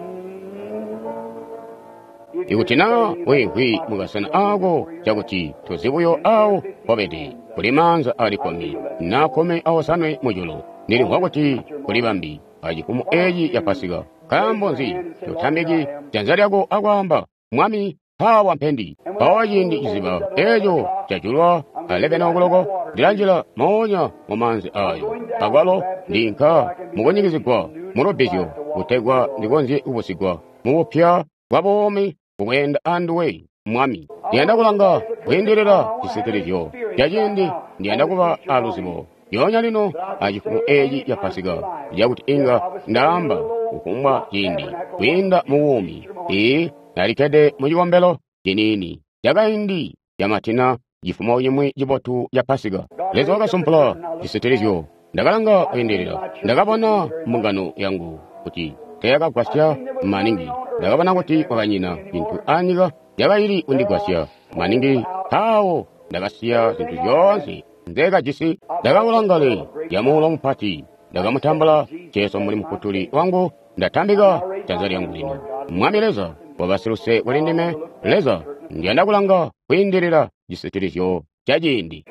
Ikuti na wiimvwi mukasena ako cakuti tuzi buyo awo wabede kuli maanza ali kkumi na kkumi awosanwe mujulu ndilimvwa kuti kuli bambi acifumo eeci ya Pasika nkaambo nzi totambiki janza lyako akwaamba Mwami mpawa mpendi mpawa ciindi ciziba eeco cajulwa alebena okuloko ndilanjila moonya mu maanzi ayo akwalo ndinka mukunyikizigwa mulubbizyo kutegwa ndikonzye kubusigwa mubupya bwa buumi bukweenda anduwe Mwami. Ndiyanda kulanga kwiindilila cisitilizyo ca ciindi ndiyanda kuba aluzibo yonya lino acifumo eeci ya Pasika cakuti inga ndaamba kufumbwa ciindi kwiinda mu buumi. Ee, nalikkede mu cikombelo ciniini cakaindi camatina cifumo cimwi cibotu ca Pasika. Leza wakasumpula cisitilizyo. Ndakalanga kwiindilila, ndakabona mbungano yangu kuti teyakagwasya maningi. Ndakabona kuti kwakanyina cintu anyika yakaili kundigwasya maningi. Mpawo ndakasiya zintu zyoonse nzekajisi. Ndakaula ngale ya muulo mupati. Ndakamutambula Jesu mbuli Mufutuli wangu. Ndatambika janza lyangu lino. Mwami Leza wabasiluse kuli ndime. Leza, ndiyanda kulanga kwiindilila cisitilizyo ca ciindi.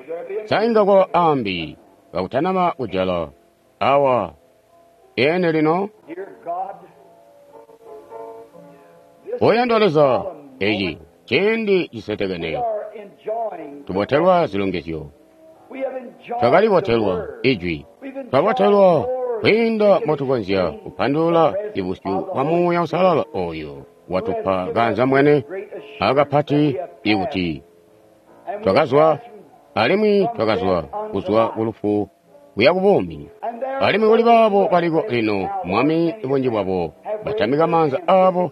Sainga kwa ambi kakutanama kujala awa ene lino. Oyandwa Leza, eci ciindi cisetekene tubotelwa zilongezyo, twakalibotelwa ijwi, twabotelwa kwiinda motukonzya kupandulula ibusyu bwa Muuya Uusalala oyo watupa kaanzambwene akapati ikuti twakazwa alimwi twakazwa kuzwa kulufu kuya kubuumi. Alimwi kuli baabo baliko lino, Mwami, bunji bwabo batamika maanza aabo.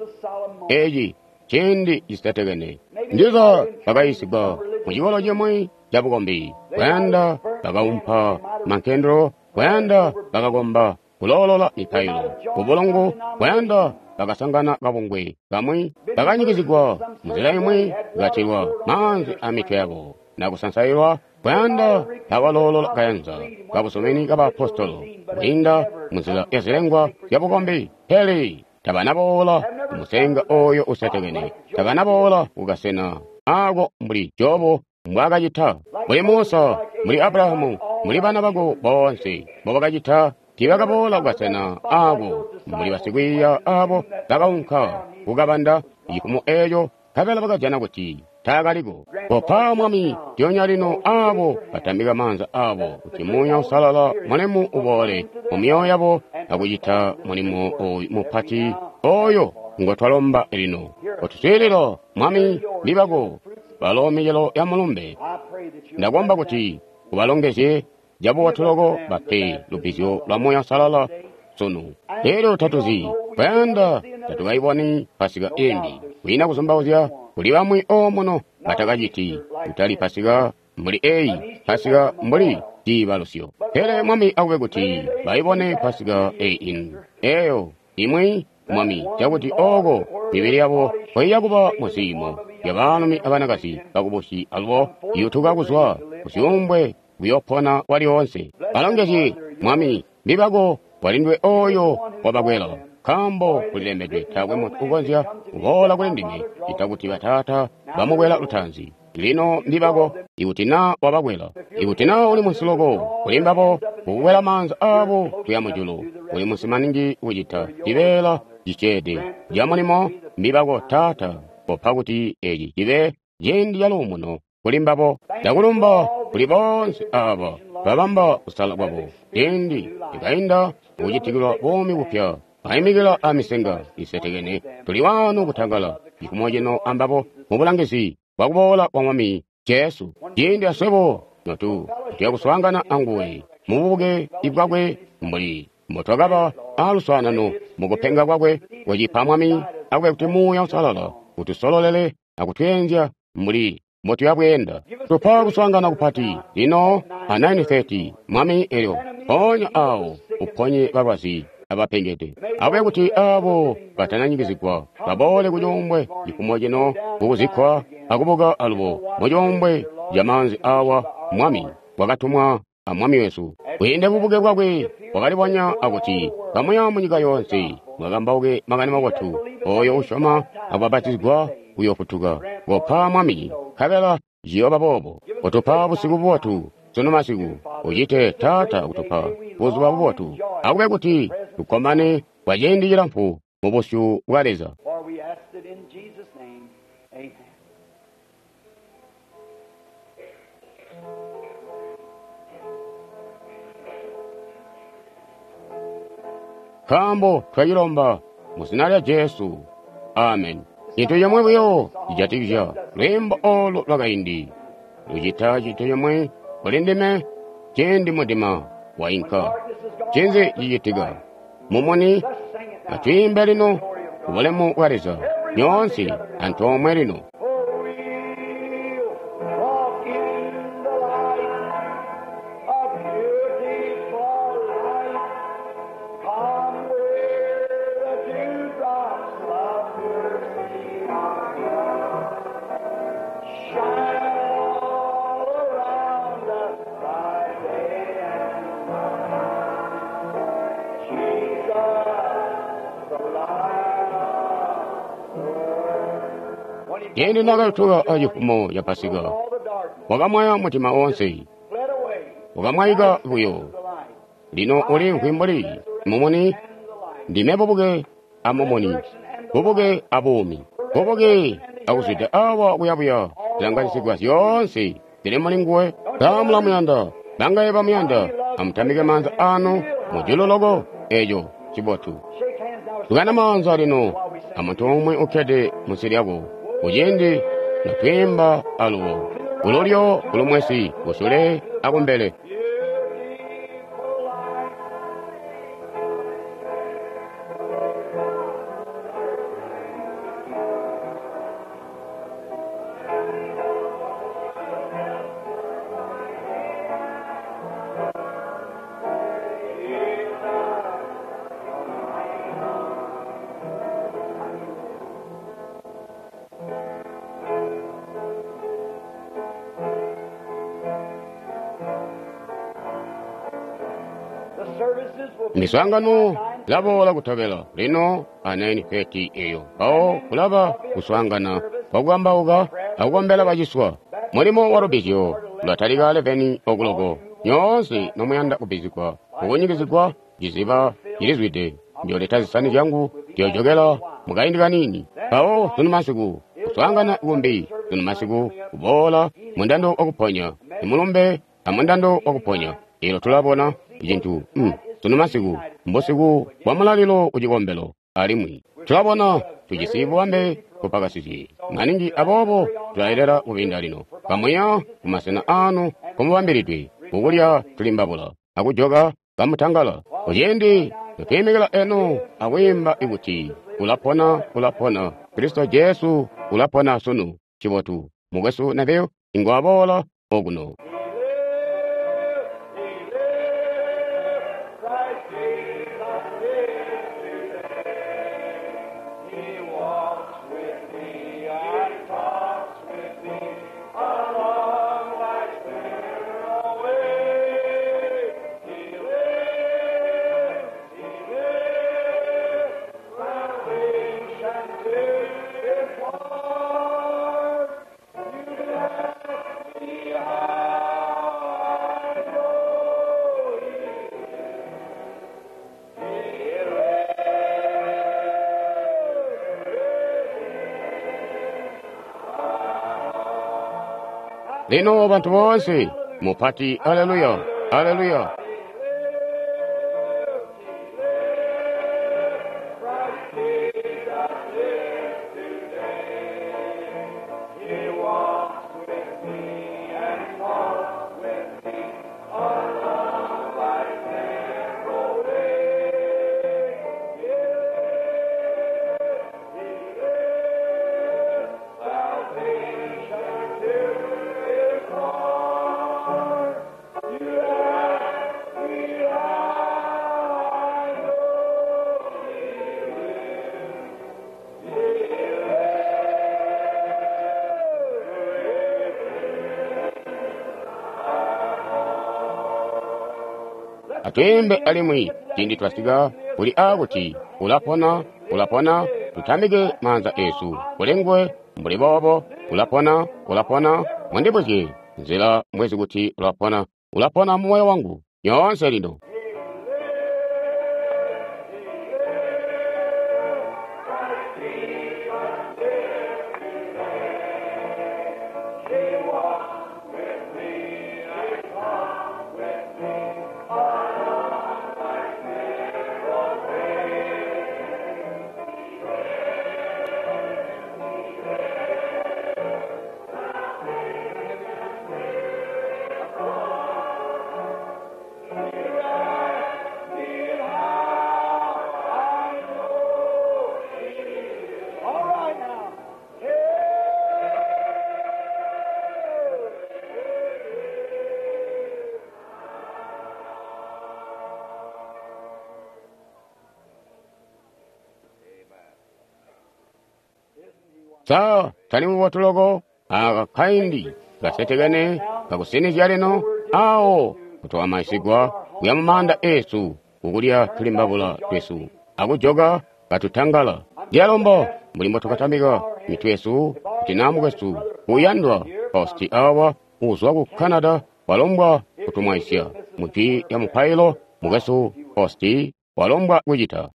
Eci ciindi cisetekene. Ndiza bakayisigwa mu cikolo cimwi ca bukombi, kuyanda bakaumpa mankendelo, kuyanda bakakomba kuloolola mipailo kubulungu, kuyanda bakasangana kabungwe kamwi, bakanyikizigwa munzila imwi, katilwa maanzi a mitwe yabo nakusansailwa, kuyanda bakaloolola kayanza kabusumini kabaapostolo kwiinda munzila ya zilengwa zya bukombi. Pele tabanaboola kumusenga oyo usetekene, tabanaboola kukasena ako mbuli Jobu mbwaakacita, mbuli Musa, mbuli Abrahamu, mbuli bana bako boonse mbobakacita. Tiibakaboola kukasena ako mbuli basikwiiya abo bakaunka kukabanda cifumo eeco, nkabela bakajana kuti taakaliko. Kopa Mwami lyonya lino abo batambika maanza abo kuti Muuya Uusalala mulemu uboole mu myoyo yabo akucita mulimo oyu mupati oyo ngotwalomba lino. Kotuswiilila Mwami, mbibako balo micelo ya mulumbe. Ndakomba kuti ubalongezye cabubotuloko bape lubbizyo lwa Muuya Uusalala sunu. Elyo tatuzi kuyanda tatukayiboni Pasika imbi. Kwiina kuzumbauzya kuli bamwi omuno batakaciti kutali Pasika mbuli eyi, Pasika mbuli ciibalusyo. Pele Mwami akube kuti bayibone Pasika eyi ino eyo imwi, Mwami, cakuti oko mibili yabo koiya kuba muziimo ya baalumi abanakazi bakubusi alubo yutuka kuzwa kuzyuumbwe kuyopona kwalyoonse. Balongezye Mwami, mbibako walindwe oyo wabakwela, nkaambo kulilembedwe taakwe muntu ukonzya kuboola kuli ndime ita kuti bataata bamukwela lutanzi. Lino mbibako, ikuti naa wabakwela, ikuti naa uli munsi loko kuli mbabo kukukwela maanza aabo kuya mujulu, uli munsi maningi kucita cibeela ciceede ca mulimo. Mbibako Taata, kopa kuti eci cibe ciindi ca luumuno kuli mbabo. Ndakulumba kuli boonse aba babamba kusala kwabo ciindi ikainda kucitikilwa buumi bupya, baimikila amisenga isetekene. Tuli wano kutangala cifumo cino ambabo mubulangizi bwakuboola kwa Mwami Jesu. Ciindi aswebo notu tuya kuswaangana anguwe mububuke bwakwe mbuli mbotwakaba aluswaanano mukupenga kwakwe. Kucipa Mwami, akube kuti Muuya Uusalala utusololele akutweenzya mbuli mbotuyabweenda. Tupa kuswaangana kupati lino a nine thirty Mwami, elyo mpoonya awo uponye balwazi abapengede. Akube kuti abo batananyikizigwa baboole kucuumbwe cifumo cino kukuzikkwa akubuka alubo mucuumbwe ca maanzi awa. Mwami wakatumwa a Mwami wesu kwiinda bubuke bwakwe bwakalibonya akuti kamuya munyika yoonse mwakambauke makani mabotu. Oyo usyoma akubapatizigwa uyofutuka. Kopa Mwami, nkabela ciyooba boobo. Kutupa busiku bubotu sunu masiku, ucite Taata kutupa buzuba bubotu. Akube kuti tukkomane kwa ciindi cilamfu mu busyu bwa Leza. For we ask it in Jesus' name. Amen. Nkaambo twacilomba mu zina lya Jesu. Amen. Cintu cimwe buyo cijatikizya lwiimbo olu lwakaindi lucita cintu cimwe kuli ndime ciindi mudima wainka. Ncinzi cicitika? Mumuni. Let's sing it now. Atwiimbe lino kubulemu bwa Leza nyoonse antoomwe lino. For we'll walk in Ciindi naakayutuka acifumo ca Pasika, wakamwaya mutima wonse, wakamwaika buyo. Lino ulimvwi mbuli mumuni. Ndime bubuke amumuni, bubuke abuumi, bubuke akuzwida awa kuyabuya. Zilanganisigwa zyoonse zili muli nguwe. Sa mulamuyanda? Bangaye bamuyanda? Amutamike maanza anu mujulu loko. Eco cibotu. Tukana maanza lino amuntu umwe ukkede munsi lyako kuciindi notwiimba alubo kululyo kulumwesi kusule akumbele. Miswaangano laboola kutobela lino a nine thirty eyo mpawo kulaba kuswaangana kwakukambauka akukombela baciswa. Mulimo wa lubbizyo ulatalika eleven o'clock. Nyoonse nomuyanda kubbizigwa kukunyikizigwa ciziba cilizwide. Njooleta zisani zyangu njoojokela mukaindi kaniini. Mpawo sunu masiku kuswaangana kumbi, sunu masiku kuboola mundando wakuponya imulumbe amundando wakuponya. Elo tulabona cintu mm. Sunu masiku mbusiku bwa mulalilo kucikombelo, alimwi tulabona tujisi bubambe bupakasizye maningi, aboobo tulayelela kubinda lino. Kamuya kumasena aanu kumubambilidwe kukulya tulimbabula akujoka kamutangala. Kuciindi notwiimikila eno akwiimba ikuti ulapona, ulapona, Kristo Jesu ulapona sunu. Cibotu mukwesu Neville ingwaboola okuno. Lino bantu boonse mupati aleluya, aleluya. Atwiimbe alimwi ciindi twasika kuli aakuti ulapona, ulapona, tutambike maanza esu kuli nguwe mbuli boobo. Ulapona, ulapona, mundibuzye nzila mbwezi kuti ulapona, ulapona mu moyo wangu nyoonse lino. All right now. Hey! Sa tali mubotu loko aka kaindi kasetekene kakusinizya lino awo kutwamaisigwa kuya mu maanda esu kukulya tulimbabula twesu akujoka katutangala. Ndiyalomba mbuli mbotukatambika mitwe yesu kuti na mukwesu uyandwa Hosti awa uzwa ku Canada walombwa kutumwaisya mu jwi lya mupailo. Mukwesu Hosti walombwa kucita.